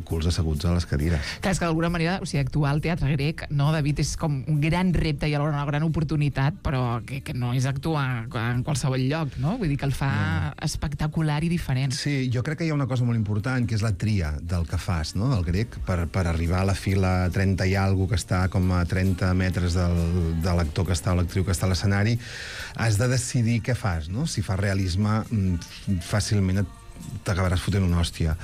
Speaker 7: culs asseguts a les cadires.
Speaker 3: Clar, és que d'alguna manera, o sigui, actuar al teatre grec, no, David, és com un gran repte i alhora una gran oportunitat, però que no és actuar en qualsevol lloc, no? Vull dir que el fa espectacular i diferent.
Speaker 7: Sí, jo crec que hi ha una cosa molt important, que és la tria del que fas, no?, del grec, per arribar a la fila 30 i alguna que està com a 30 metres de l'actor que està o l'actriu que està a l'escenari, has de decidir què fas, no? Si fas realisme, fàcilment t'acabaràs fotent una hòstia.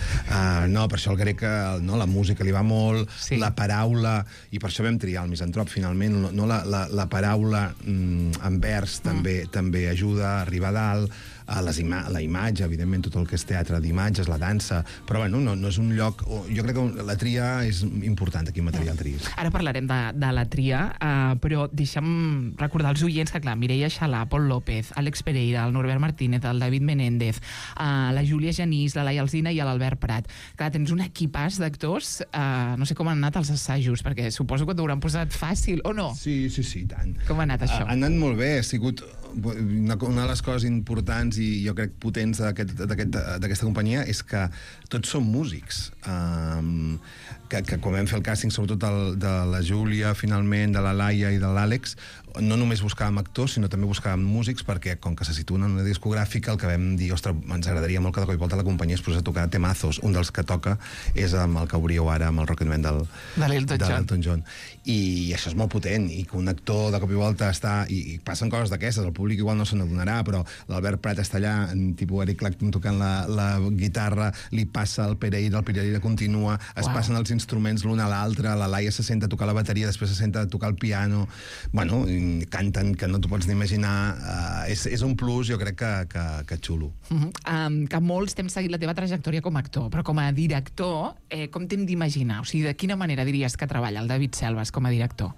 Speaker 7: No, per això el grec, no, la música li va molt, la paraula, i per això vam triar el misantrop, finalment, no, la paraula en vers també ajuda a arribar a dalt, la imatge, evidentment, tot el que és teatre d'imatges, la dansa, però bueno, no és un lloc... Jo crec que la tria és important aquí en Material Tris.
Speaker 3: Ara parlarem de la tria, però deixa'm recordar als oients que, clar, Mireia Xalà, Pol López, Àlex Pereira, el Norbert Martínez, el David Menéndez, la Júlia Genís, la Laia Alsina i l'Albert Prat. Clar, tens un equipàs d'actors, no sé com han anat els assajos, perquè suposo que t'ho hauran posat fàcil, o no?
Speaker 7: Sí, tant.
Speaker 3: Com ha anat això?
Speaker 7: Ha anat molt bé, ha sigut una de les coses importants i jo crec potents d'aquesta companyia és que tots som músics. Que quan vam fer el càsting, sobretot de la Júlia, finalment, de la Laia i de l'Àlex, no només buscàvem actors, sinó també buscàvem músics, perquè com que se situen en una discogràfica, el que vam dir, ostres, ens agradaria molt que de cop i volta la companyia es posés a tocar temazos. Un dels que toca és amb el que obríeu ara, amb el Rocketman de l'Elton John. I això és molt potent, i que un actor de cop i volta està... I passen coses d'aquestes, el públic igual no se n'adonarà, però l'Albert Prat està allà, tipus Eric Clapton tocant la guitarra, li passa el Pereira continua, es passen els instruments l'un a l'altre, la Laia se senta a tocar la bateria, després se senta a tocar el piano, bueno, canten que no t'ho pots ni imaginar, és un plus, jo crec que xulo.
Speaker 3: Que molts t'hem seguit la teva trajectòria com a actor, però com a director, com t'hem d'imaginar? O sigui, de quina manera diries que treballa el David Selves com a director?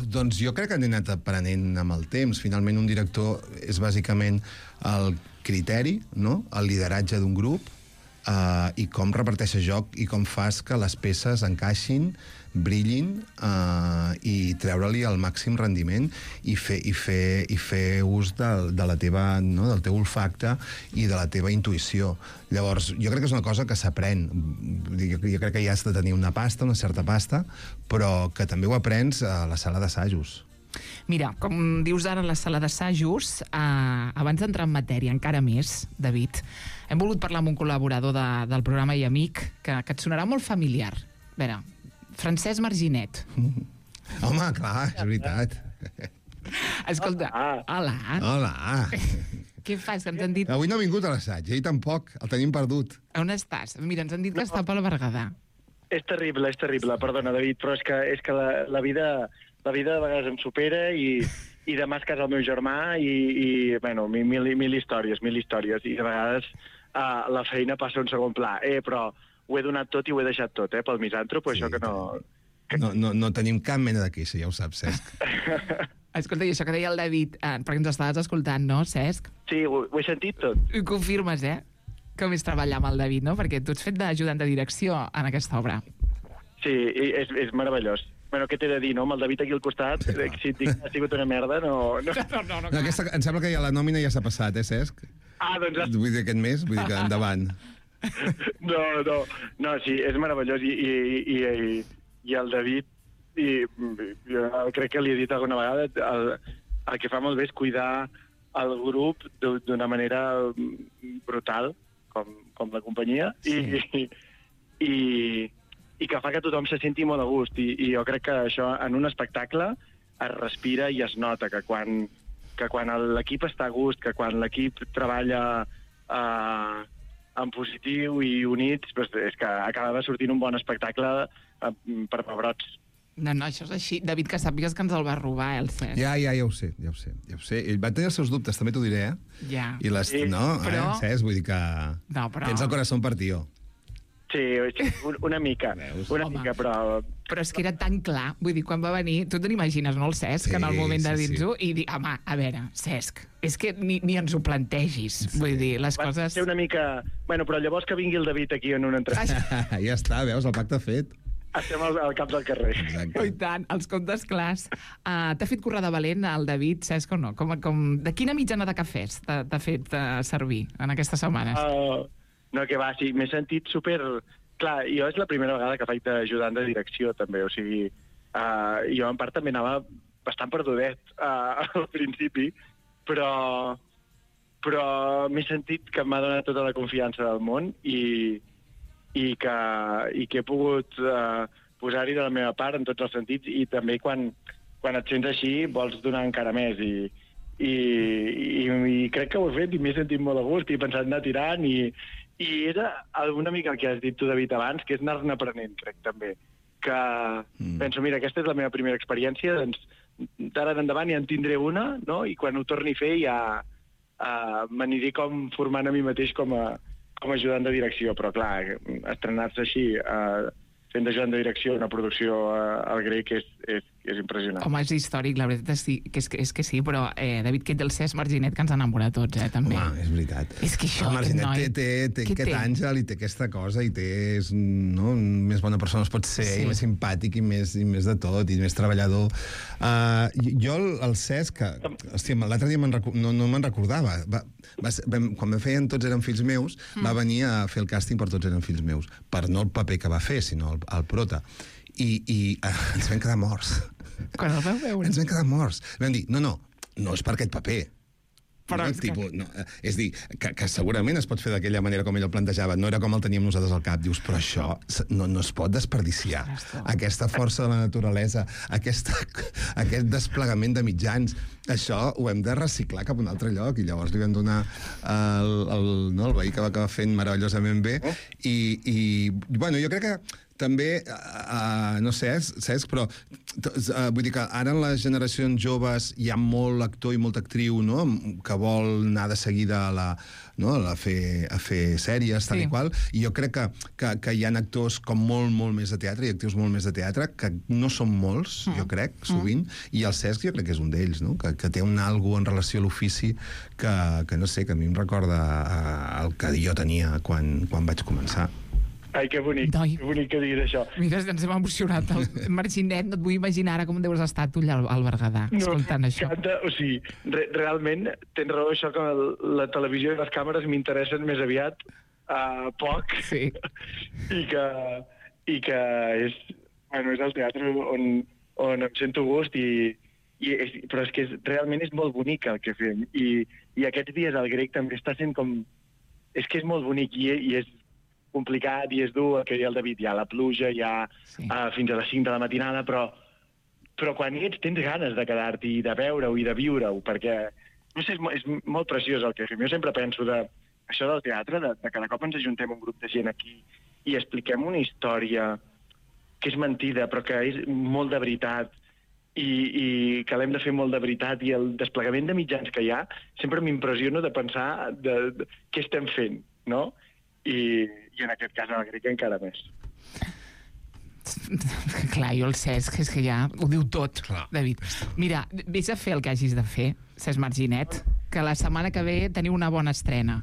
Speaker 7: Doncs jo crec que han anat aprenent amb el temps. Finalment, un director és bàsicament el criteri, no?, el lideratge d'un grup, i com reparteixes joc i com fas que les peces encaixin, brillin, i treure-li el màxim rendiment i fer ús de la teva, no?, del teu olfacte i de la teva intuïció. Llavors, jo crec que és una cosa que s'aprèn. Jo crec que ja has de tenir una certa pasta, però que també ho aprens a la sala d'assajos.
Speaker 3: Mira, com dius ara a la sala d'assajos, abans d'entrar en matèria encara més, David, hem volgut parlar amb un col·laborador del programa i amic que et sonarà molt familiar. A veure, Francesc Marginet.
Speaker 7: Home, clar, és veritat.
Speaker 3: Escolta, hola.
Speaker 7: Hola.
Speaker 3: Què fas? Que ens han dit...
Speaker 7: Avui no ha vingut a l'assaig, ell tampoc, el tenim perdut.
Speaker 3: On estàs? Mira, ens han dit que està pel Berguedà.
Speaker 8: És terrible, perdona, David, però és que la vida de vegades em supera i demà es casa el meu germà i bueno, mil històries, i de vegades la feina passa a un segon pla. Però ho he donat tot i ho he deixat tot, pel misantrop, això que no...
Speaker 7: No tenim cap mena de queixa, ja ho saps, Cesc.
Speaker 3: Escolta, i això que deia el David, perquè ens estaves escoltant, no, Cesc?
Speaker 8: Sí, ho he sentit tot.
Speaker 3: Ho confirmes, Com és treballar amb el David, no? Perquè tu ets fet d'ajudant de direcció en aquesta obra.
Speaker 8: Sí, és meravellós. Bueno, què t'he de dir, no? Amb el David aquí al costat, si et dic que ha sigut una merda, no.
Speaker 7: Em sembla que ja la nòmina ja s'ha passat, Cesc?
Speaker 8: Doncs...
Speaker 7: Vull dir, aquest mes, vull dir que endavant.
Speaker 8: No, sí, és meravellós i el David, jo crec que li he dit alguna vegada, el que fa molt bé és cuidar el grup d'una manera brutal, com la companyia, i i que fa que tothom se senti molt a gust. I jo crec que això en un espectacle es respira i es nota que quan l'equip està a gust, que quan l'equip treballa en positiu i units, doncs és que acaba sortint un bon espectacle per pebrots.
Speaker 3: No, això és així. David, que sàpigues que ens el va robar, el Cesc.
Speaker 7: Ja ho sé. Ell va tenir els seus dubtes, també t'ho diré,
Speaker 3: Ja.
Speaker 7: I però... Cesc, vull dir que...
Speaker 3: No, però...
Speaker 7: Tens el corazón partió.
Speaker 8: Sí, una mica, mica, però...
Speaker 3: Però és que era tan clar, vull dir, quan va venir, tu te n'imagines, no, el Cesc, en el moment de dir-ho, i dir, home, a veure, Cesc, és que ni ens ho plantegis, vull dir, les coses...
Speaker 8: Va ser una mica... Bueno, però llavors que vingui el David aquí en una entrevista...
Speaker 7: Ja està, veus, el pacte fet.
Speaker 8: Estem al cap del carrer.
Speaker 7: Exacte.
Speaker 3: I tant, els comptes clars. T'ha fet currar de valent el David, Cesc, o no? De quina mitjana de cafès t'ha fet servir en aquestes setmanes?
Speaker 8: No, que va, sí, m'he sentit super... Clar, jo és la primera vegada que faig d'ajudant de direcció, també, o sigui, jo en part també anava bastant perdudet al principi, però m'he sentit que m'ha donat tota la confiança del món i que he pogut posar-hi de la meva part en tots els sentits, i també quan et sents així vols donar encara més, i crec que ho he fet i m'he sentit molt a gust i he pensat anar tirant, i era una mica el que has dit tu, David, abans, que és anar-ne aprenent, crec, també. Que penso, mira, aquesta és la meva primera experiència, doncs d'ara endavant ja en tindré una, no? I quan ho torni a fer ja m'aniré com formant a mi mateix com a ajudant de direcció, però clar, estrenar-se així fent d'ajudant de direcció una producció al Grec és impressionant.
Speaker 3: Home, és històric, la veritat és que sí, però David, que del Cesc Marginet, que ens enamora a tots, també.
Speaker 7: Home, és veritat.
Speaker 3: És que això,
Speaker 7: el Marginet té aquest àngel i té aquesta cosa i és més bona persona es pot ser, i més simpàtic i més de tot, i més treballador. Jo, el Cesc, hòstia, l'altre dia no me'n recordava. Quan me feien Tots eren fills meus, va venir a fer el càsting per Tots eren fills meus, per no el paper que va fer, sinó el prota. I ens vam quedar morts.
Speaker 3: Quan el vau veure?
Speaker 7: Ens vam quedar morts. Vam dir, no és per aquest paper.
Speaker 3: Però
Speaker 7: és dir, que segurament es pot fer d'aquella manera com ell el plantejava, no era com el teníem nosaltres al cap. Dius, però això no es pot desperdiciar. Aquesta força de la naturalesa, aquest desplegament de mitjans, això ho hem de reciclar cap a un altre lloc, i llavors li vam donar el veí que va acabar fent meravellosament bé, i bueno, jo crec que també, no sé, Cesc, però vull dir que ara en les generacions joves hi ha molt actor i molta actriu, no?, que vol anar de seguida a fer sèries, tal i qual, i jo crec que hi ha actors com molt més de teatre i actius molt més de teatre, que no són molts, jo crec, sovint, i el Cesc jo crec que és un d'ells, no?, que té un algo en relació a l'ofici que no sé, que a mi em recorda el que jo tenia quan vaig començar.
Speaker 8: Ai, que bonic, que bonic que diguis això.
Speaker 3: Mira, ens hem emocionat. El Marginet, no et vull imaginar ara com deus estar tu allà al Berguedà, escoltant això.
Speaker 8: O sigui, realment tens raó, això que la televisió i les càmeres m'interessen més aviat poc,
Speaker 3: sí.
Speaker 8: i que és el teatre on em sento gust, però és que realment és molt bonic el que fem, i aquests dies al Grec també està sent com... És que és molt bonic i és complicat i és dur, que el David, hi ha la pluja, hi ha fins a les 5 de la matinada, però quan hi ets tens ganes de quedar-t'hi i de veure-ho i de viure-ho, perquè no sé, és molt preciós el que fem. Jo sempre penso això del teatre, de cada cop ens ajuntem un grup de gent aquí i expliquem una història que és mentida, però que és molt de veritat, i que l'hem de fer molt de veritat, i el desplegament de mitjans que hi ha sempre m'impressiono de pensar què estem fent, no? I en aquest cas en el Grec encara més.
Speaker 3: Clar, jo el Cesc, és que ja ho diu tot, David. Mira, vés a fer el que hagis de fer, Cesc Marginet, que la setmana que ve teniu una bona estrena.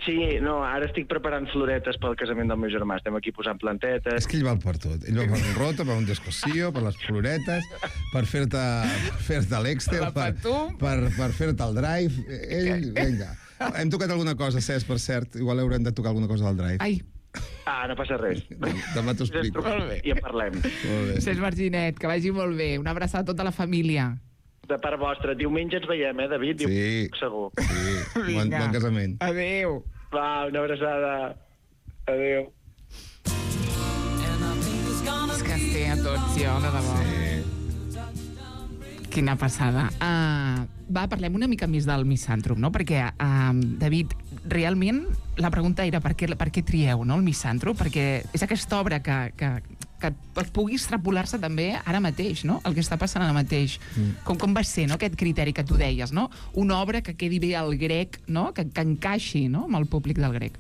Speaker 8: Sí, no, ara estic preparant floretes pel casament del meu germà. Estem aquí posant plantetes.
Speaker 7: És que ell val per tot. Ell va per un rota, per un descossió, per les floretes, per fer-te l'Excel, per fer-te el drive. Ell, vinga. Hem tocat alguna cosa, Cesc, per cert. Igual haurem de tocar alguna cosa del drive.
Speaker 3: Ai.
Speaker 8: No passa res.
Speaker 7: Demà t'ho explico.
Speaker 8: I en parlem.
Speaker 3: Cesc Marginet, que vagi molt bé. Una abraçada a tota la família.
Speaker 8: De part vostra. Diumenge ens veiem, David?
Speaker 7: Sí.
Speaker 8: Segur.
Speaker 7: Sí. Bon casament.
Speaker 3: Adéu.
Speaker 8: Va, una abraçada. Adéu.
Speaker 2: And I think
Speaker 3: tots, jo, de debò. Quina passada. Parlem una mica més del misàntrop, no? Perquè, David, realment la pregunta era per què trieu, no, el misàntrop? Perquè és aquesta obra que pugui extrapolar-se també ara mateix, no? El que està passant ara mateix. Com va ser, no, aquest criteri que tu deies, no? Una obra que quedi bé al grec, no? Que encaixi, no, amb el públic del grec.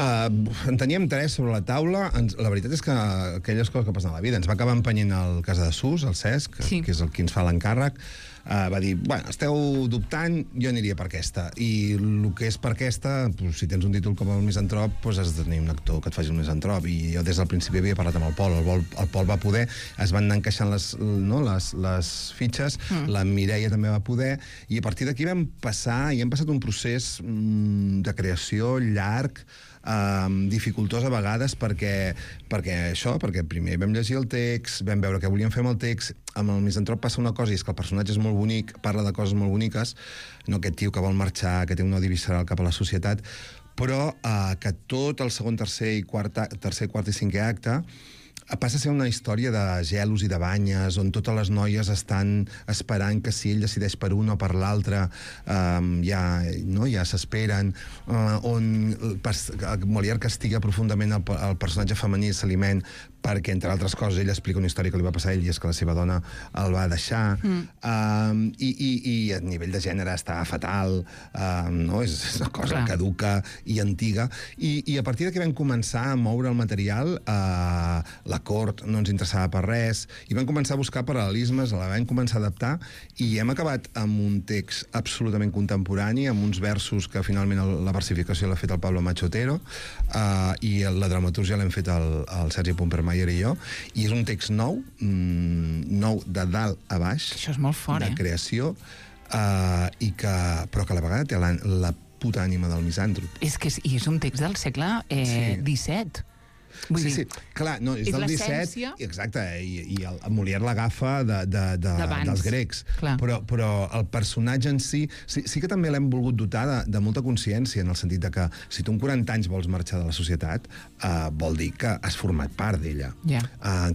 Speaker 7: En teníem tres sobre la taula. La veritat és que aquelles coses que passen a la vida ens va acabar empenyent el Casa de Sus, el Cesc, que és el qui ens fa l'encàrrec. Va dir, bueno, esteu dubtant, jo aniria per aquesta. I el que és per aquesta, si tens un títol com el Misantrop, has de tenir un actor que et faci un Misantrop. I jo des del principi havia parlat amb el Pol. El Pol va poder, es van anar encaixant les fitxes, la Mireia també va poder, i a partir d'aquí vam passar, i hem passat un procés de creació llarg, dificultós a vegades perquè primer vam llegir el text, vam veure què volíem fer amb el text. Amb el Misantrop passa una cosa, i és que el personatge és molt bonic, parla de coses molt boniques, no aquest tio que vol marxar, que té un odi visceral cap a la societat, però que tot el segon, tercer, quart i cinquè acte passa a ser una història de gelos i de banyes, on totes les noies estan esperant que si ell decideix per un o per l'altre ja s'esperen, on Molière castiga profundament el personatge femení Saliment perquè, entre altres coses, ell explica una història que li va passar a ell, i és que la seva dona el va deixar, i a nivell de gènere està fatal, és una cosa caduca i antiga, i a partir d'aquí vam començar a moure el material. La cort no ens interessava per res, i vam començar a buscar paral·lelismes, la vam començar a adaptar, i hem acabat amb un text absolutament contemporani, amb uns versos que finalment la versificació l'ha fet el Pablo Machotero, i la dramatúrgia l'hem fet el Sergi Pompermayer i jo, i és un text nou de dalt a baix.
Speaker 3: Això és molt fort,
Speaker 7: de creació, però que a la vegada té la puta ànima del misàntrop.
Speaker 3: És un text del segle XVII.
Speaker 7: Sí, clar, no, és del 17, exacte, i el Molière l'agafa dels grecs, però el personatge en si que també l'hem volgut dotar de molta consciència, en el sentit de que si tu amb 40 anys vols marxar de la societat, vol dir que has format part d'ella.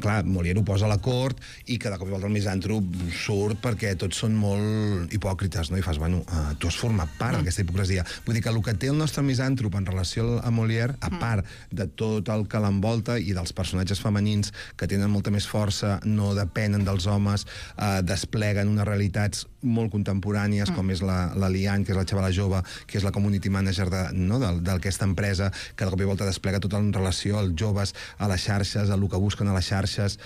Speaker 7: Clar, Molière ho posa a la cort, i que de cop i volta el misàntrop surt perquè tots són molt hipòcrites, no? I fas, bueno, tu has format part d'aquesta hipocresia. Vull dir que el que té el nostre misàntrop en relació a Molière, a part de tot el que l'envolta i dels personatges femenins que tenen molta més força, no depenen dels homes, despleguen unes realitats molt contemporànies, com és la Liane, que és la xavala jove, que és la community manager d'aquesta empresa, que de cop i volta desplega tota en relació als joves, a les xarxes, a el que busquen a les xarxes,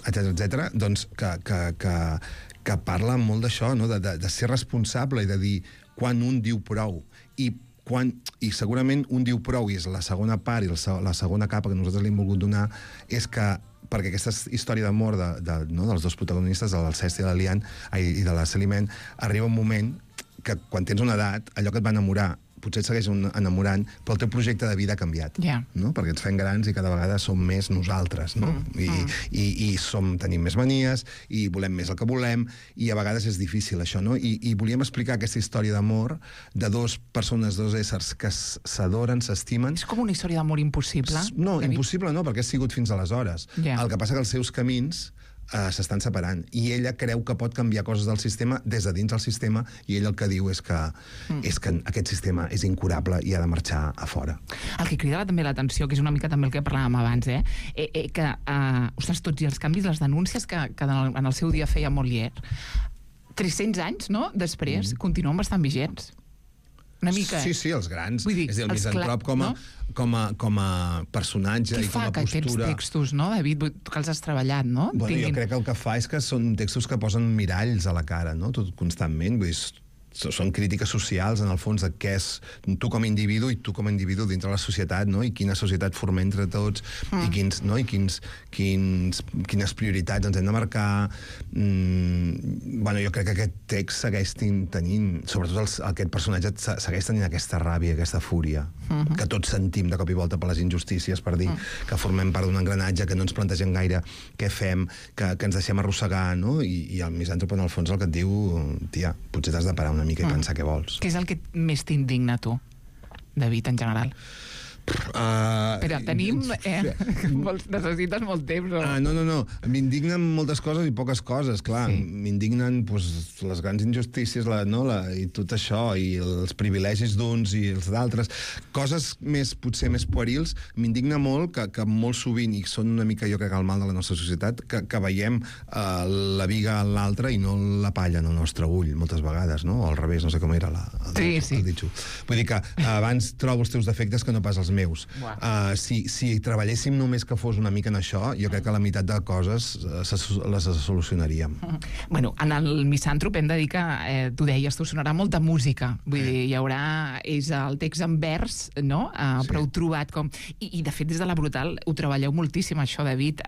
Speaker 7: etc. Doncs que parla molt d'això, de ser responsable i de dir quan un diu prou, i segurament un diu prou, i és la segona part i la segona capa que nosaltres li hem volgut donar, és que perquè aquesta història d'amor dels dos protagonistes, del Cesc i de la Liane, i de la Saliment, arriba un moment que quan tens una edat, allò que et va enamorar potser et segueix enamorant, però el teu projecte de vida ha canviat, no? Perquè ens fem grans i cada vegada som més nosaltres, no? I tenim més manies, i volem més el que volem, i a vegades és difícil això, no? I volíem explicar aquesta història d'amor de dos persones, dos éssers que s'adoren, s'estimen.
Speaker 3: És com una història d'amor impossible?
Speaker 7: No, impossible no, perquè ha sigut fins aleshores. El que passa que els seus camins s'estan separant, i ella creu que pot canviar coses del sistema des de dins del sistema, i ell el que diu és que aquest sistema és incurable i ha de marxar a fora.
Speaker 3: El que crida també l'atenció, que és una mica també el que parlàvem abans, que, ostres, tots i els canvis, les denúncies que en el seu dia feia Molière, 300 anys, no?, després, continuen bastant vigents. Una mica,
Speaker 7: Sí, els grans. És a dir, el Misantrop com a personatge i com a postura.
Speaker 3: Qui fa aquests textos, no, David? Tu que els has treballat, no?
Speaker 7: Jo crec que el que fa és que són textos que posen miralls a la cara, no?, tot constantment. Vull dir, són crítiques socials, en el fons, de què és tu com a individu i tu com a individu dintre la societat, no?, i quina societat formem entre tots, i quines prioritats ens hem de marcar. Jo crec que aquest text segueix tenint, sobretot aquest personatge segueix tenint aquesta ràbia, aquesta fúria, que tots sentim de cop i volta per les injustícies, per dir que formem part d'un engranatge, que no ens plantegem gaire què fem, que ens deixem arrossegar, no? I el misàntrop, en el fons, el que et diu, tia, potser t'has de parar una mica i pensar què vols.
Speaker 3: Què és el que més t'indigna, tu, David, en general? Però tenim... necessites molt temps.
Speaker 7: No. M'indignen moltes coses i poques coses, clar. Sí. M'indignen les grans injustícies i tot això, i els privilegis d'uns i els d'altres. Coses potser més puerils. M'indigna molt que molt sovint, i són una mica, jo crec, el mal de la nostra societat, que veiem la viga en l'altre i no la palla en el nostre ull, moltes vegades, no? O al revés, no sé com era el ditxo. Vull dir que abans trobo els teus defectes que no pas els meus. Si treballéssim només que fos una mica en això, jo crec que la meitat de coses les solucionaríem.
Speaker 3: Bueno, en el Misàntrop hem de dir que, tu deies, tu sonarà molta música. Vull dir, hi haurà... És el text en vers, no? Però heu trobat com... I, de fet, des de la Brutal ho treballeu moltíssim, això, David.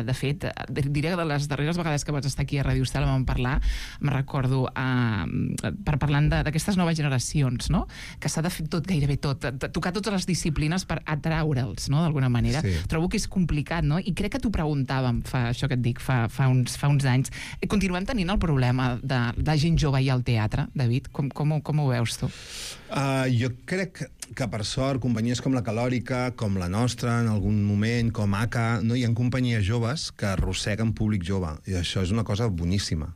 Speaker 3: De fet, diré que de les darreres vegades que vaig estar aquí a Ràdio Estel vam parlar, me'n recordo, parlant d'aquestes noves generacions, no? Que s'ha de fer tot, gairebé tot, tocar totes les disciplines per atraure'ls, no?, d'alguna manera. Sí. Trobo que és complicat, no? I crec que t'ho preguntàvem, això que et dic, fa uns anys. Continuem tenint el problema de gent jove i al teatre, David? Com ho veus tu?
Speaker 7: Jo crec que, per sort, companyies com la Calòrica, com la nostra, en algun moment, com ACA, no hi ha companyies joves que arrosseguen públic jove. I això és una cosa boníssima.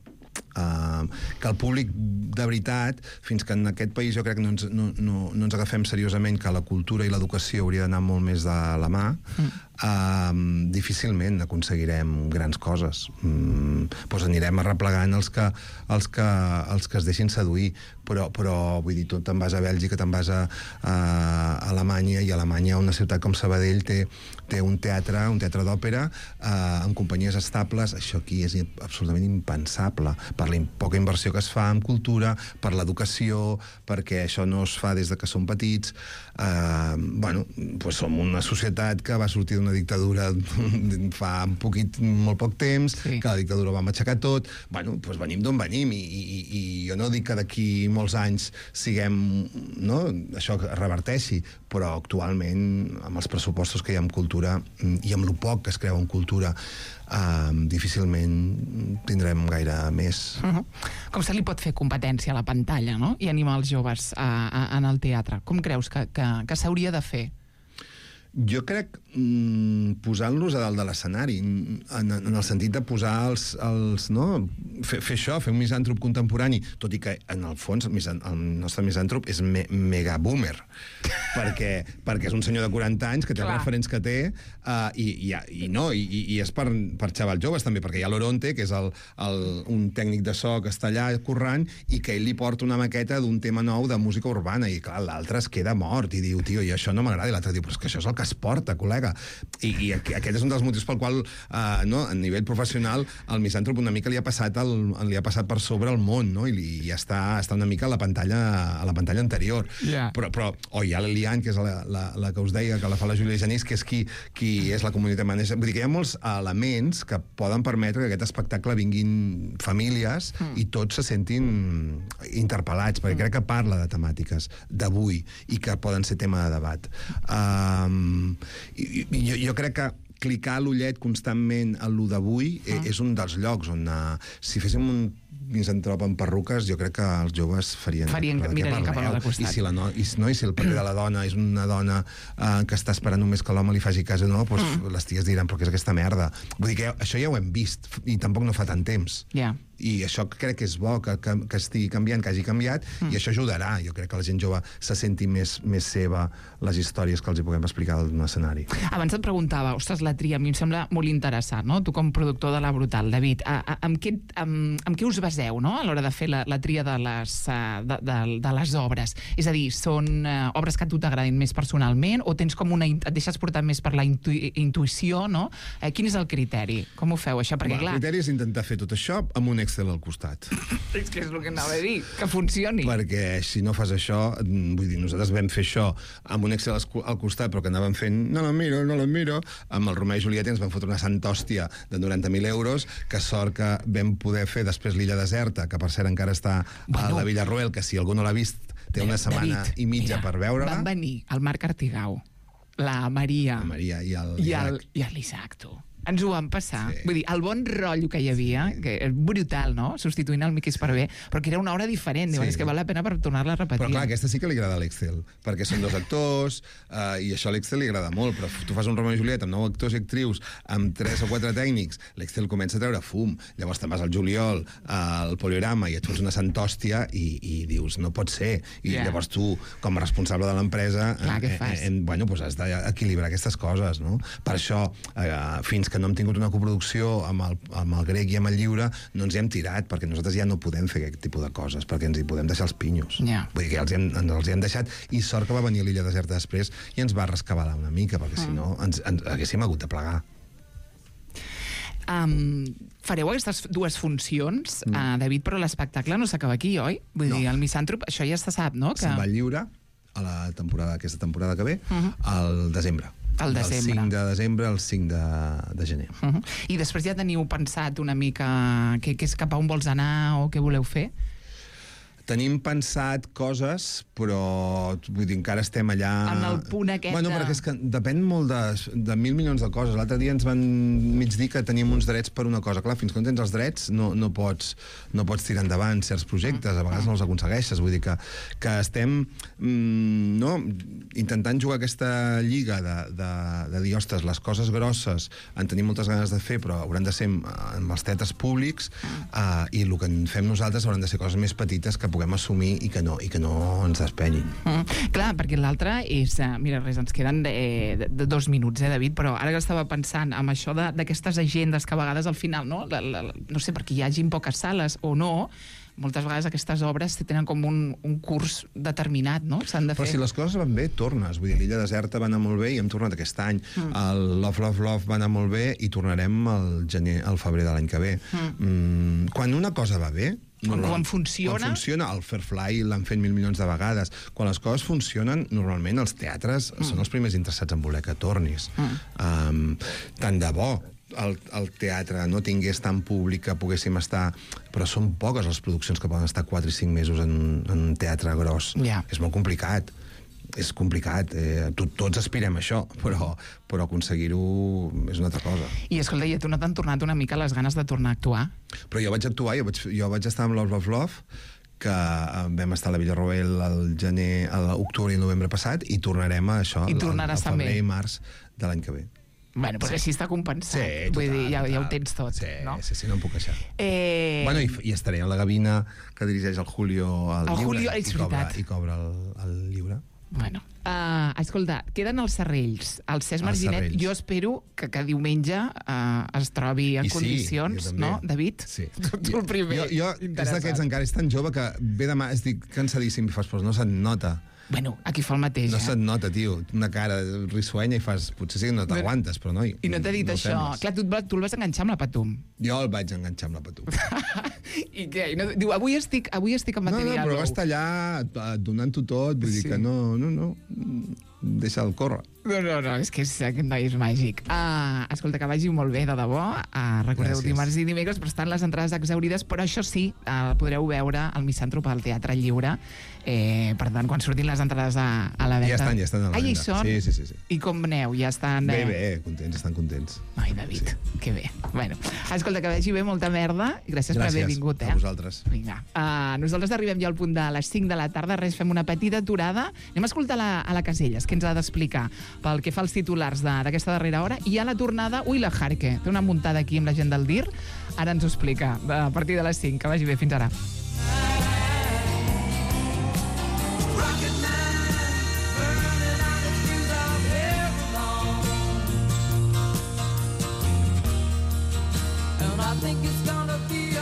Speaker 7: Que el públic de veritat, fins que en aquest país jo crec que no ens agafem seriosament que la cultura i l'educació hauria d'anar molt més de la mà, difícilment aconseguirem grans coses. Doncs anirem arreplegant els que es deixin seduir, però vull dir, tu te'n vas a Bèlgica, te'n vas a Alemanya, i a Alemanya una ciutat com Sabadell té un teatre d'òpera amb companyies estables. Això aquí és absolutament impensable per la poca inversió que es fa en cultura, per l'educació, perquè això no es fa des de que som petits. Som una societat que va sortir d'una dictadura fa molt poc temps, que la dictadura va matxacar tot. Venim d'on venim, i jo no dic que d'aquí molts anys això reverteixi, però actualment, amb els pressupostos que hi ha en cultura i amb lo poc que es creu en cultura, difícilment tindrem gaire més.
Speaker 3: Com se li pot fer competència a la pantalla, no?, i animar els joves en el teatre? Com creus que s'hauria de fer?
Speaker 7: Jo crec posant-los a dalt de l'escenari, en el sentit de posar fer això, fer un misàntrop contemporani, tot i que en el fons el nostre misàntrop és mega boomer, perquè és un senyor de 40 anys que té els referents que té, i és per xavals joves també, perquè hi ha l'Oronte, que és un tècnic de so que està allà currant, i que ell li porta una maqueta d'un tema nou de música urbana, i clar, l'altre es queda mort i diu, tio, i això no m'agrada, i l'altre diu, però és que això és el que es porta, col·lega. I aquest és un dels motius pel qual, a nivell professional, el misàntrop una mica li ha passat per sobre el món, no? I està una mica a la pantalla anterior. Però hi ha l'Elian, que és la que us deia, que la fa la Júlia Genís, que és qui és la comunitat manager. Vull dir que hi ha molts elements que poden permetre que aquest espectacle vinguin famílies i tots se sentin interpel·lats, perquè crec que parla de temàtiques d'avui i que poden ser tema de debat. Jo crec que clicar l'ullet constantment a lo d'avui és un dels llocs on, si féssim un misàntrop amb perruques, jo crec que els joves mirarien
Speaker 3: cap a l'altre costat.
Speaker 7: I si el paper de la dona és una dona que està esperant només que l'home li faci cas, doncs les ties diran, però què és aquesta merda? Vull dir que això ja ho hem vist, i tampoc no fa tant temps. I això crec que és bo, que estigui canviant, que hagi canviat, i això ajudarà. Jo crec que la gent jove se senti més seva les històries que els hi puguem explicar d'un escenari.
Speaker 3: Abans et preguntava, ostres, la tria, a mi em sembla molt interessant, no? Tu com productor de La Brutal, David, amb què us baseu, no?, a l'hora de fer la tria de les obres? És a dir, són obres que a tu t'agradin més personalment, o tens com et deixes portar més per la intuïció, no? Quin és el criteri? Com ho feu, això? Perquè, clar...
Speaker 7: El criteri és intentar fer tot això amb un Excel al costat.
Speaker 3: És que és el que anava a dir, que funcioni.
Speaker 7: Perquè si no fas això, vull dir, nosaltres vam fer això amb un Excel al costat, però que anàvem fent, no la miro, amb el Romeu i Julieta ens van fotre una santa hòstia de 90.000 euros, que sort que vam poder fer després l'Illa Deserta, que per cert encara està a la Villarroel, que si algú no l'ha vist, té una setmana i mitja per veure-la.
Speaker 3: Van venir el Marc Artigau, la Maria
Speaker 7: i
Speaker 3: l'Isaac, tu. Ens ho vam passar. Vull dir, el bon rotllo que hi havia, que és brutal, no? Substituint el Miqui Esparvé, però que era una hora diferent. Diuen, és que val la pena per tornar-la a repetir.
Speaker 7: Però clar, aquesta sí que li agrada a l'Excel, perquè són 2 actors, i això a l'Excel li agrada molt, però tu fas un Romeo i Julieta amb 9 actors i actrius, amb 3 o 4 tècnics, l'Excel comença a treure fum, llavors te'n vas al juliol, al poliorama, i et fots una santòstia i dius, no pot ser. I llavors tu, com a responsable de l'empresa, doncs has d'equilibrar aquestes coses, no? Per això, fins que no hem tingut una coproducció amb el grec i amb el lliure, no ens hi hem tirat, perquè nosaltres ja no podem fer aquest tipus de coses, perquè ens hi podem deixar els pinyos. Vull dir que els hi hem deixat, i sort que va venir a l'Illa Deserta després i ens va rescabalar una mica, perquè si no ens haguéssim hagut de plegar.
Speaker 3: Fareu aquestes 2 funcions, David, però l'espectacle no s'acaba aquí, oi? Vull dir, el Misàntrop, això ja se sap, no?
Speaker 7: Se'n va al lliure a aquesta temporada que ve, al desembre. Del 5 de desembre al 5 de gener.
Speaker 3: I després ja teniu pensat una mica què és cap a on vols anar o què voleu fer?
Speaker 7: Tenim pensat coses, però vull dir, encara estem allà...
Speaker 3: En el punt aquest
Speaker 7: Bueno, perquè és que depèn molt de 1.000 milions de coses. L'altre dia ens van mig dir que teníem uns drets per una cosa. Clar, fins que no tens els drets no pots tirar endavant certs projectes, a vegades no els aconsegueixes. Vull dir que estem intentant jugar aquesta lliga de dir, ostres, les coses grosses en tenim moltes ganes de fer, però hauran de ser amb els teatres públics, i el que en fem nosaltres hauran de ser coses més petites que puguem assumir i que no ens despenyin.
Speaker 3: Clar, perquè l'altre és... Mira, res, ens queden 2 minuts, David, però ara que estava pensant amb això d'aquestes agendes que a vegades al final, no sé, perquè hi hagin poques sales o no, moltes vegades aquestes obres tenen com un curs determinat, no? S'han de fer...
Speaker 7: Però si les coses van bé, tornes. Vull dir, l'Illa Deserta va anar molt bé i hem tornat aquest any. El Love, Love, Love va anar molt bé i tornarem al febrer de l'any que ve. Quan una cosa va bé,
Speaker 3: quan funciona...
Speaker 7: Quan funciona, el Fairfly l'han fet 1.000 milions de vegades. Quan les coses funcionen, normalment els teatres són els primers interessats en voler que tornis. Tant de bo el teatre no tingués tant públic que poguéssim estar... Però són poques les produccions que poden estar 4 i 5 mesos en un teatre gros. És molt complicat. És complicat, tots aspirem a això, però aconseguir-ho és una altra cosa.
Speaker 3: I escolta, i a tu no t'han tornat una mica les ganes de tornar a actuar?
Speaker 7: Però jo vaig actuar, jo vaig estar amb Love, Love, Love, que vam estar a la Villarroel al gener, a l'octubre i novembre passat, i tornarem a això al febrer i març de l'any que ve.
Speaker 3: Bueno, però així està compensat.
Speaker 7: Sí, total,
Speaker 3: vull dir, ja ho tens tot, no?
Speaker 7: Sí, no em puc queixar. Bueno, i estaré a la Gavina que dirigeix el Julio al lliure.
Speaker 3: És veritat.
Speaker 7: I cobra el lliure.
Speaker 3: Bueno, escolta, queden els Serrells. El Cesc Marginet, jo espero que diumenge es trobi en condicions, no, David?
Speaker 7: Sí.
Speaker 3: Tu el primer.
Speaker 7: Jo és d'aquests encara, és tan jove que ve demà, estic cansadíssim i fas, però no se't nota.
Speaker 3: Bueno, aquí fa el mateix,
Speaker 7: No se't nota, tio. Una cara risuenya i fas... Potser sí que no t'aguantes, però noi...
Speaker 3: I no t'ha dit això. Clar, tu el vas enganxar amb la Patum.
Speaker 7: Jo el vaig enganxar amb la Patum.
Speaker 3: I què? Diu, avui estic amb material.
Speaker 7: No, però va estar allà donant-ho tot. Vull dir que no. Deixa'l córrer.
Speaker 3: No, és que aquest noi és màgic. Escolta, que vagi molt bé, de debò. Recordeu, dimarts i dimecres, però estan les entrades exaurides, però això sí, podreu veure el Misàntrop al Teatre Lliure. Per tant, quan surtin les entrades a la venda...
Speaker 7: Ja estan a la venda.
Speaker 3: Ja hi són?
Speaker 7: Sí.
Speaker 3: I com aneu? Ja estan...
Speaker 7: Bé, estan contents.
Speaker 3: Ai, David, que bé. Bueno, escolta, que vagi bé, molta merda, i gràcies per haver vingut.
Speaker 7: A vosaltres.
Speaker 3: Vinga. Nosaltres arribem ja al punt de les 5 de la tarda, fem una petita aturada. Anem a escoltar a la Caselles, que ens ha d'explicar pel que fa als titulars d'aquesta darrera hora, i a la tornada, la Jarque, té una muntada aquí amb la gent del DIR, ara ens ho explica, a partir de les 5, que vagi bé, fins ara.
Speaker 9: I think it's gonna be